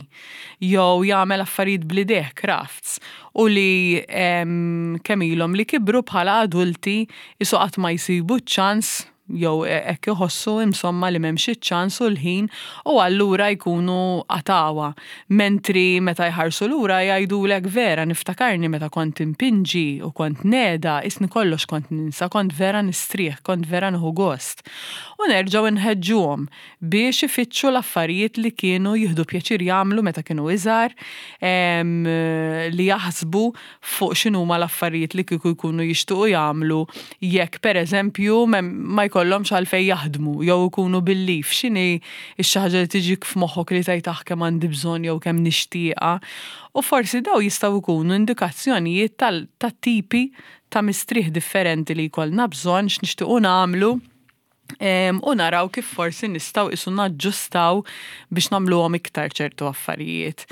jew jagħmel affarijiet bl-idejh, crafts, u li kemm ilhom li kibru bħala adulti isu qatt ma jsibu ċ-ċans jew hekk iħossu insomma li m'hemmx iċ-ċans u l-ħin u allura jkunu qatgħuha. Mentri meta jħarsu lura jgħidulek: "Vera niftakarni meta kont impinġi u kont neda, isni kollox kont ninsa, kont vera nistrieħ, kont vera nieħu gost." U nerġgħu nħeġġuhom biex ifittxu l-affarijiet li kienu jieħdu pjaċir jagħmlu meta kienu iżgħar, li jaħsbu fuq x'inhuma l-affarijiet li kieku jkunu jixtiequ jagħmlu jekk, pereżempju, ma jkollhomx għalfejn jaħdmu jew ikunu bil-leave, x'inhi x-xi ħaġa li tiġik f'moħħok li tgħid: "Aħ, kemm għandi bżonn jew kemm nixtieqha." U forsi daw jistgħu jkunu indikazzjonijiet tat-tipi ta' mistrieħ differenti li jkollna bżonn, x'nixtiequ nagħmlu u naraw kif forsi nistgħu isu naġġustaw biex nagħmluhom iktar ċertu affarijiet.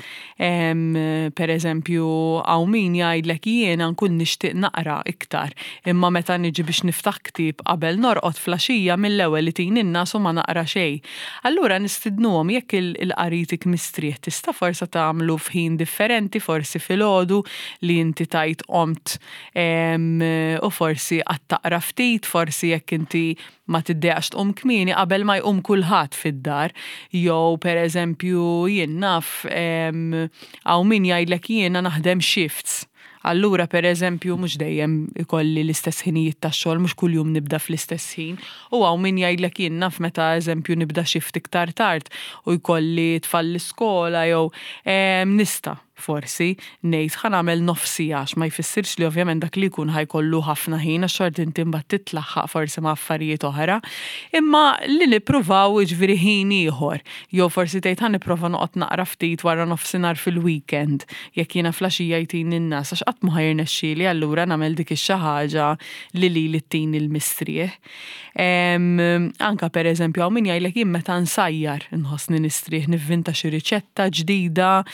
Per eżempju, hawn min jgħidlek: "Jiena nkun nixtieq naqra iktar, imma meta niġi biex niftaħ ktieb qabel norqod filgħaxija, mill-ewwel itini n-ngħas u ma naqra xejn." Allura nistidnuhom, jekk il-qari jtik mistrieħ, tista' forsi tagħmlu f'ħin differenti, forsi filgħodu li inti tajt qomt u forsi qatt taqra ftit, forsi jekk inti ma tiddejaqx tqum kmieni, qabel ma jqum kulħadd fid-dar, jew per eżempju, jien naf, hawn min jgħidlek: "Jiena naħdem shifts. Allura, per eżempju, mhux dejjem ikolli l-istess ħinijiet tax-xogħol, mhux kuljum nibda fl-istess ħin." U hawn min jgħidlek: "Jien naf meta, eżempju, nibda shift iktar tard u jkolli tfal l-iskola jew nista' forsi ngħid ħa nagħmel nofs siegħa," għax ma jfissirx li ovvjament dak li jkun ħa jkollu ħafna ħin, għax xorta inti mbagħad titlaħħaq forsi ma' affarijiet oħra. Imma li nippruvaw, jiġifieri, ħin ieħor, jew forsi tgħid: "Ħa nipprova noqgħod naqra ftit wara nofsinhar fil-weekend jekk jiena filgħaxija jtini n-ngħas, għax qatt ma ħa jirnexxieli allura nagħmel dik ix-xi ħaġa li lili ttini l-mistrieħ." Anka per eżempju hawn min jgħidlek: "Jien meta nsajjar nħossni nistrieħ, nivvinta xi riċetta ġdida."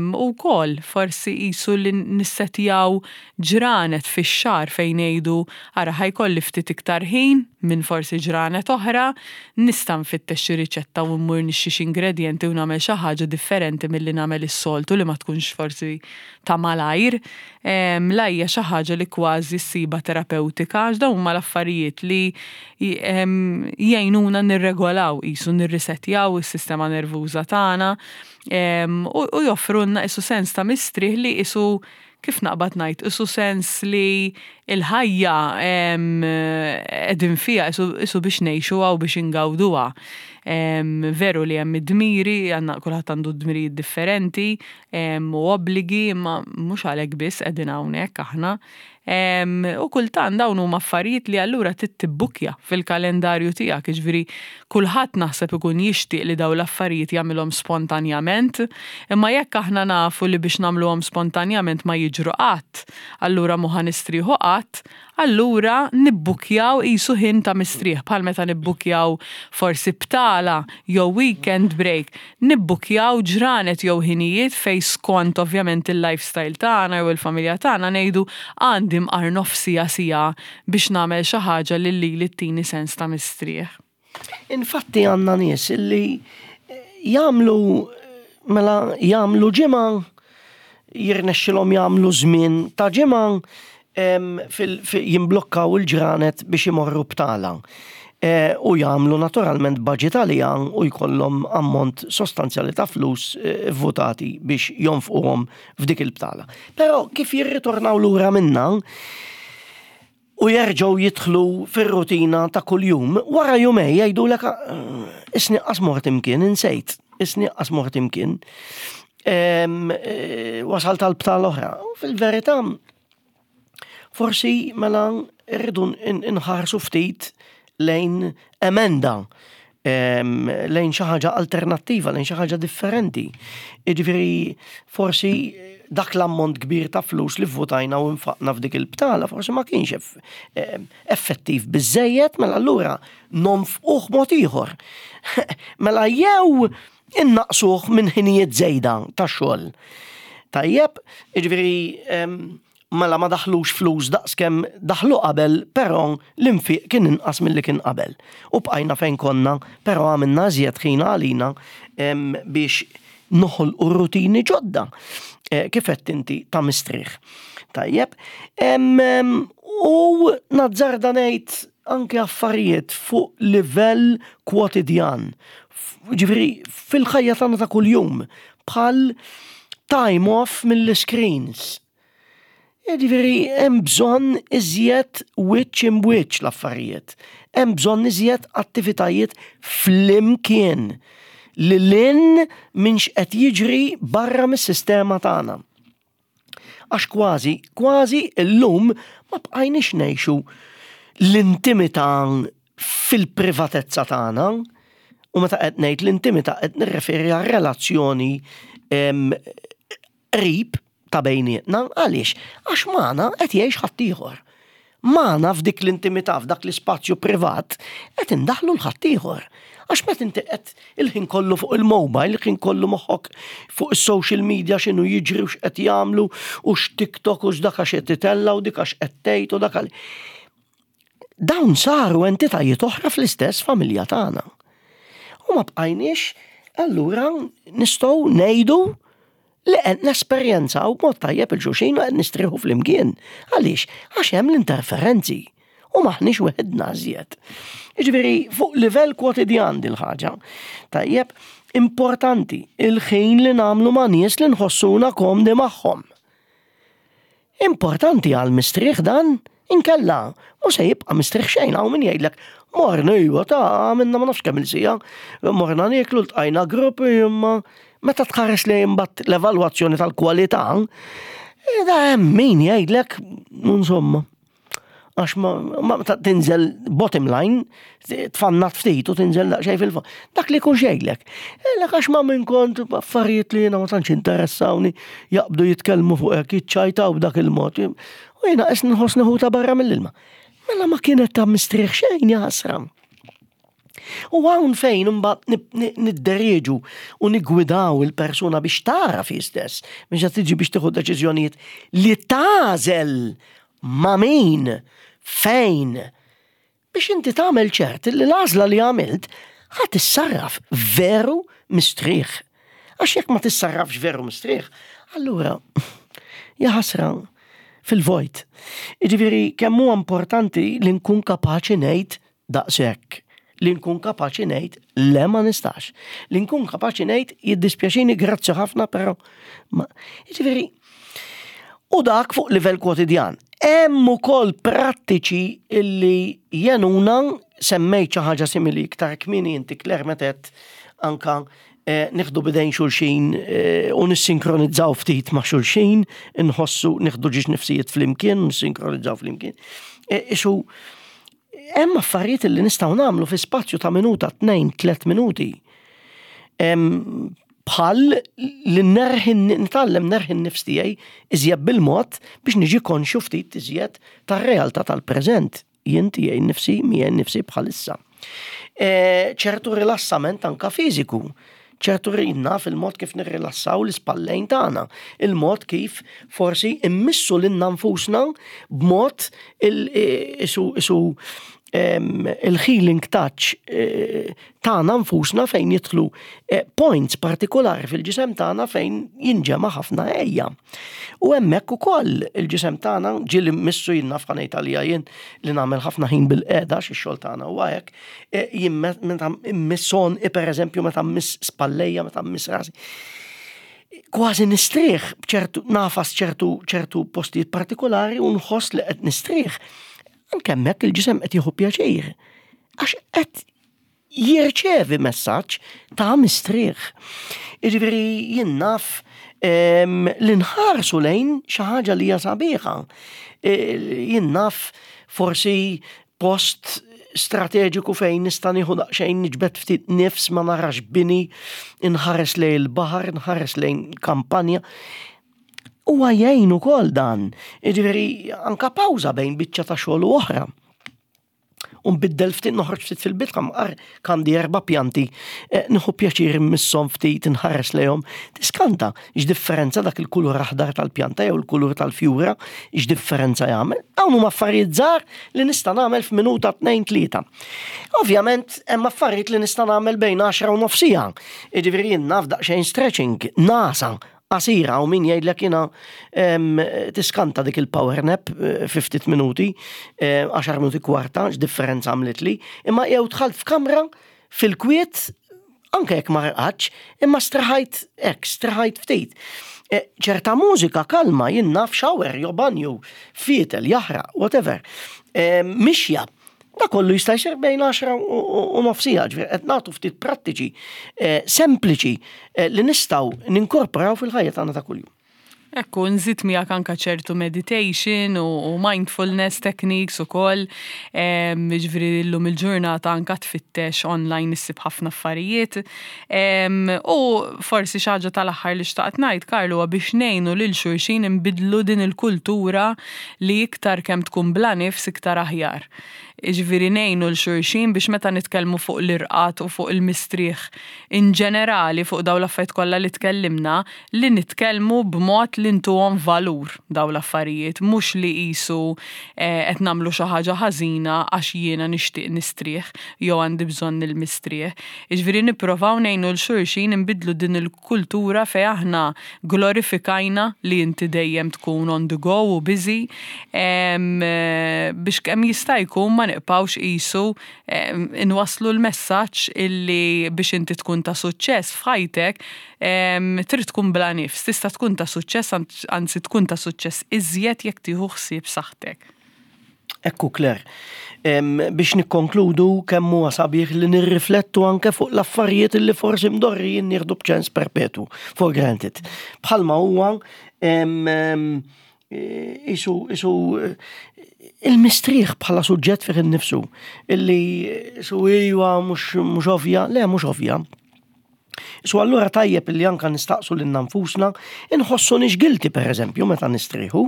U wkoll forsi qisu li nissetjaw ġranet fix-xahar fejn ngħidu: "Ara, ħa jkolli ftit iktar ħin minn forsi ġranet oħra, nista' nfittex xi riċetta u mmur nixtri xi ingredjenti u nagħmel xi ħaġa differenti milli nagħmel is-soltu li ma tkunx forsi ta' malajr." La hija xi ħaġa li kważi ssiba terapewtika, għax dawn huma l-affarijiet li jgħinuna nirregolaw, qisu nirrisetjaw is-sistema nervuża tagħna u joffrulna qisu sens ta' mistrieħ li qisu, kif naqbad ngħid, qisu sens li il-ħajja qegħdin fiha qisu biex ngħixuha u biex ingawduha. Veru li hemm id-dmiri, għandna kulħadd għandu dmirijiet differenti u obbligi, imma mhux għalhekk biss qegħdin hawnhekk aħna. U kultant dawn huma affarijiet li allura trid tibbukja fil-kalendarju tiegħek, jiġifieri kulħadd naħseb ikun jixtieq li dawn l-affarijiet jagħmilhom spontanjament, imma jekk aħna nafu li biex nagħmluhom spontanjament ma jiġru qatt, allura mhu ħa nistrieħu qatt, allura nibbukjaw qisu ħin ta' mistrieħ, bħal meta nibbukjaw forsi btala jew weekend break, nibbukjaw ġranet jew ħinijiet fej skont ovvjament il-lifestyle tagħna jew il-familja tagħna ngħidu: "Għandi mqar nofs siegħa, siegħa biex nagħmel xi ħaġa li lili ttini sens ta' mistrieħ." Infatti għandna nies illi jagħmlu, mela, jagħmlu ġimgħa, jirnexxilhom jagħmlu żmien ta' ġimgħa, jimblokkaw il-ġranet biex imorru btala. E, u jagħmlu naturalment budget għalija u jkollhom ammont sostanzjali ta' flus e, votati biex jonfquhom f'dik il-btala. Però kif jirritornaw lura minna u jerġgħu jidħlu fir-rutina ta' kuljum, wara jumejn jgħidulek: "Isni qas mort imkien, insejt, isni qas mort imkien. E, wasalt tal-btala oħra." Fil-verità, forsi mela rridu nħarsu ftit lejn emenda, lejn xi ħaġa alternattiva, lejn xi ħaġa differenti. Jiġifieri forsi dak l-ammont kbir ta' flus li votajna u nfaqna f'dik il-btala forsi ma kienx effettiv biżejjed, mela allura nonfquh mod ieħor. Mela jew innaqsuh minn ħinijiet żejda ta' xogħol. Tajjeb, jiġifieri mela ma daħlux flus daqskemm daħlu qabel, però l-infiq kien inqas milli kien qabel. U bqajna fejn konna, però għamilna iżjed ħin għalina biex noħolqu rutini ġodda. Eh, kif qed inti ta' mistrieħ. Tajjeb, u nazzarda ngħid anke affarijiet fuq livell kwotidjan. Ġifieri fil-ħajja tagħna ta' kuljum bħal time off mill-screens. Ġifieri hemm bżonn iżjed wiċċ imb'wiċċ l-affarijiet. Hemm bżonn iżjed attivitajiet flimkien lil hinn minn x'qed jiġri barra mis-sistema tagħna. Għax kważi, kważi illum ma bqajniex ngħixu l-intimità fil-privatezza tagħna. U meta qed ngħid l-intimità, qed nirreferi għal relazzjoni qrib ta' bejnietna. Għaliex? Għax magħna qed jgħix ħaddieħor. Magħna f'dik l-intimità, f'dak l-ispazju privat, qed indaħlu 'l ħaddieħor. Għax meta inti qed il-ħin kollu fuq il-mobile, il-ħin kollu moħħok fuq is-social media, x'inhu jiġri u x'qed jagħmlu u x'TikTok u x'dak għax qed titella' u dik għax qed tgħid u dak. Dawn saru entitajiet oħra fl-istess familja tagħna. U ma bqajniex allura nistgħu ngħidu li qed nesperjenzaw b'mod tajjeb 'il xulxin u qed nistrieħu flimkien. Għaliex? Għax hemm l-interferenzi u maħniex weħidna iżjed. Jiġifieri fuq livell kwotidjan dil-ħaġa. Tajjeb, importanti il-ħin li nagħmlu ma' nies li nħossuna komdi magħhom. Importanti għal mistrieħ dan, inkella mhux se jibqa' mistrieħ xejn. Hawn min jgħidlek, "Morna, iva, ta' għamilna ma nafx kemm il-siegħa, morna nieklu, ltqajna gruppi," imma meta tħares li imbagħad l-evalwazzjoni tal-kwalità, eh, da hemm min jgħidlek, insomma, għax ma, ma ta' tinżel bottom line, tfannat ftit u tinżel daqsxejn fil-fond. Dak li kun xejlek. Lek għax ma minn kont affarijiet li jiena ma tantx interessawni, jaqbdu jitkellmu fuq hekk, jiċċajtaw b'dak il-mod. U jiena qes nħossni ħuta barra mill-ilma. Mela ma kienet ta' mistrieħ xejn, jaħasra. U hawn fejn imbagħad nidderieġu u nigwidaw il-persuna biex tara fi stess, biex tiġi biex tieħu deċiżjonijiet li tagħżel ma' min, fejn, biex inti tagħmel ċert li l-għażla li għamilt ħa tissarraf veru mistrieħ. Għax jekk ma tissarrafx veru mistrieħ, allura jaħasra, fil-vojt. Jiġifieri kemm huwa importanti li nkun kapaċi ngħid daqshekk, li nkun kapaċi ngħid le, ma nistax, li nkun kapaċi ngħid jiddispjaċini, grazzi ħafna, però ma. Jiġifieri u dak fuq livell kwotidjan. Hemm ukoll prattiċi illi jgħinuna. Semmejt xi ħaġa simili iktar kmieni inti, Claire, meta anka eh, nieħdu b'idejn xulxin eh, u nissinkronizzaw ftit ma' xulxin, nħossu nieħdu żewġ nifsijiet flimkien, nissinkronizzaw flimkien. Eh, isu hemm affarijiet li nistgħu nagħmlu fi spazju ta' minuta, tnejn, tliet minuti. Bħal li nerħi, nitgħallem nerħi n-nifs tiegħi iżjed bil-mod biex niġi konxju ftit iżjed tar-realtà tal-preżent. Jien tiegħi nifsi, miegħi nifsi bħalissa. E, ċertu rilassament anka fiżiku, ċertu rinna fil-mod kif nirrilassaw l-ispallejn tagħna, il-mod kif forsi immissu lilna nfusna b'mod isu isu il-healing touch eh, tagħna nfusna, fejn jidħlu eh, points partikolari fil-ġisem tagħna fejn jinġema' ħafna ejja. U hemmhekk ukoll il-ġisem tagħna ġieli missu jien naf ħanejt għalija jien li nagħmel ħafna ħin bil-qiegħda xi xogħol tagħna huwa hekk, eh, jien meta mmisson, per eżempju meta mmiss spallejja, meta mmiss rasi, kważi nistrieħ b'ċertu nafas ċertu ċertu postijiet partikolari u nħoss li qed nistrieħ. Anke hemmhekk il-ġisem qed jieħu pjaċir. Għax qed jirċevi messaġġ ta' mistrieħ. Jiġifieri jien naf li nħarsu lejn xi ħaġa li hija sabiħa. E, jien naf forsi post strateġiku fejn nista' nieħu daqsxejn, niġbed ftit nifs, ma narax bini, inħares lejn il-baħar, inħares lejn kampanja. Huwa jgħin ukoll dan. Jiġifieri anka pawża bejn biċċa ta' xogħol u oħra. U nbiddel ftit, noħroġ ftit fil-bitħa, mqar għandi erba' pjanti, eh, nieħu pjaċir immisshom ftit, inħares lejhom. Tiskanta x'differenza dak il-kulur aħdar tal-pjanta jew il-kulur tal-fjura, x'differenza jagħmel. Dawn huma affarijiet żgħar li nista' nagħmel f'minuta, tnejn, tlieta. Ovvjament hemm affarijiet li nista' nagħmel bejn għaxra u nofs siegħa. Jiġifieri jien naf daqsxejn stretching, nagħsa qasira u min jgħidlek jiena tiskanta dik il-power nap eh, fi ftit minuti, għaxar minuti, kwarta, x'differenza għamlet li, imma jew dħalt f'kamra fil-kwiet, anke jekk ma rqadx, imma straħajt hekk, straħajt ftit. Eh, ċerta mużika kalma, jien naf shower, jew banju, fietel, jaħraq, whatever. Mixja, da kollu jista' jsir bejn għaxra u nofs siegħa, ġifieri qed nagħtu ftit prattiċi eh, sempliċi eh, li nistgħu ninkorporaw fil-ħajja tagħna ta' kuljum. Ekku, nżid miegħek anka ċertu meditation u, u mindfulness techniques u koll. Ġifieri llum il-ġurnata anka tfittex online issib ħafna affarijiet. U forsi xi ħaġa tal-aħħar li xtaqt ngħid, Karlu, biex ngħinu lil xulxin nbidlu din il-kultura li iktar kemm tkun bla nifs iktar aħjar. Ġifieri ngħinu lil xulxin biex meta nitkellmu fuq l-irqad u fuq il-mistrieħ in ġenerali, fuq daw l-affarijiet kollha li tkellimna, li nitkellmu b'mod li ntuhom valur daw l-affarijiet, mhux li qisu eh, qed nagħmlu xi ħaġa ħażina għax jiena nixtieq nistrieħ jew għandi bżonn il-mistrieħ. Ġifieri nipprovaw ngħinu lil xulxin nbidlu din il-kultura fejn aħna glorifikajna li inti dejjem tkun on the go u busy eh, biex kemm jista' jkun ma nibqgħux qisu inwasslu l-messaġġ illi biex inti tkun ta' suċċess f'ħajtek trid tkun bla nifs, tista' tkun ta' suċċess, anzi tkun ta' suċċess iżjed jekk tieħu ħsieb saħħtek. Ekku, Claire, biex nikkonkludu, kemm huwa sabiħ li nirriflettu anke fuq l-affarijiet li forsi mdorrijin nieħdu b'ċens perpetu, for granted. Bħalma huwa isu isu il-mistrieħ bħala suġġett fih innifsu, illi su iwa mhux ovvja, le, mhux ovvja. Su allura tajjeb illi anka nistaqsu lil nfusna, inħossunix guilty, per eżempju, meta nistrieħu,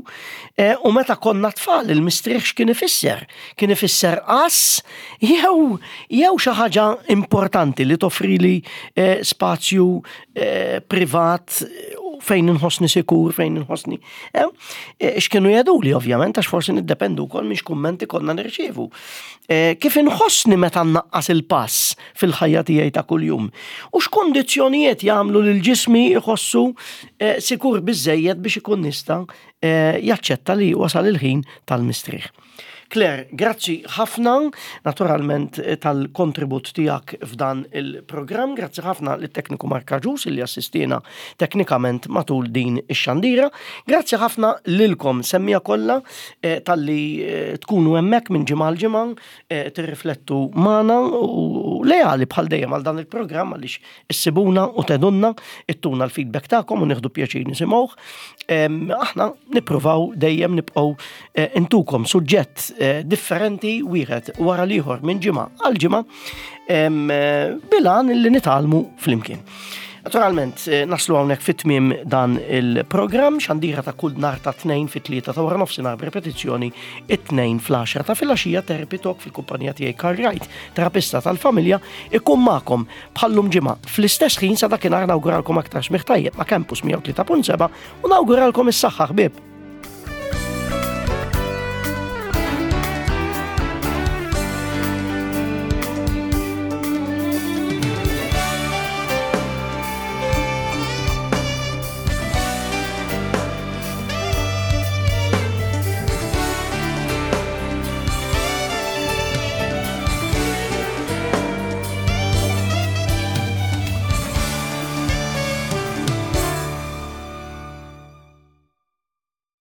e, u meta konna tfal il-mistrieħ x'kien ifisser? Kien ifisser as jew jew xi ħaġa importanti li toffrili e, spazju e, privat fejn inħossni sikur, fejn inħossni. X'kienu jgħiduli, ovvjament, għax forsi niddependu wkoll minn kummenti konna nirċievu. Kif inħossni meta nnaqqas il-pass fil-ħajja tiegħi ta' kuljum? U x'kondizzjonijiet jagħmlu lil ġismi jħossu sikur biżejjed biex ikun nista' jaċċetta li wasal il-ħin tal-mistrieħ? Claire, grazzi ħafna, naturalment, tal-kontribut tiegħek f'dan il-programm, grazzi ħafna lit-tekniku Mark Ġus li assistina teknikament matul din ix-xandira, grazzi ħafna lilkom semmiegħa kollha eh, talli eh, tkunu hemmhekk minn ġimgħa l ġimgħa eh, tirriflettu magħna u leali bħal dejjem għal dan il-programm, għaliex issibuna u tgħidulna, ittuna l-feedback tagħkom u nieħdu pjaċir nisimgħuh. Aħna nippruvaw dejjem nibqgħu intukom suġġett Eh, differenti wieħed wara l-ieħor minn ġimgħa għal ġimgħa eh, bil-għan li nitgħallmu flimkien. Naturalment, eh, naslu hawnhekk fit-tmiem dan il-programm, xandira ta' kull nhar ta' Tnejn fit-tlieta ta' wara nofsinhar, b'repetizzjoni it-Tnejn fl-għaxra ta' filgħaxija, Therapy Talk fil-kumpanija tiegħi Karl Wright, terapista tal-familja, ikun magħkom bħallum ġimgħa fl-istess ħin. Sa dakinhar nawguralkom aktar smigħ tajjeb ma' Campus mija u tlieta punt seba' u nawguralkom is-saħħa, ħbieb.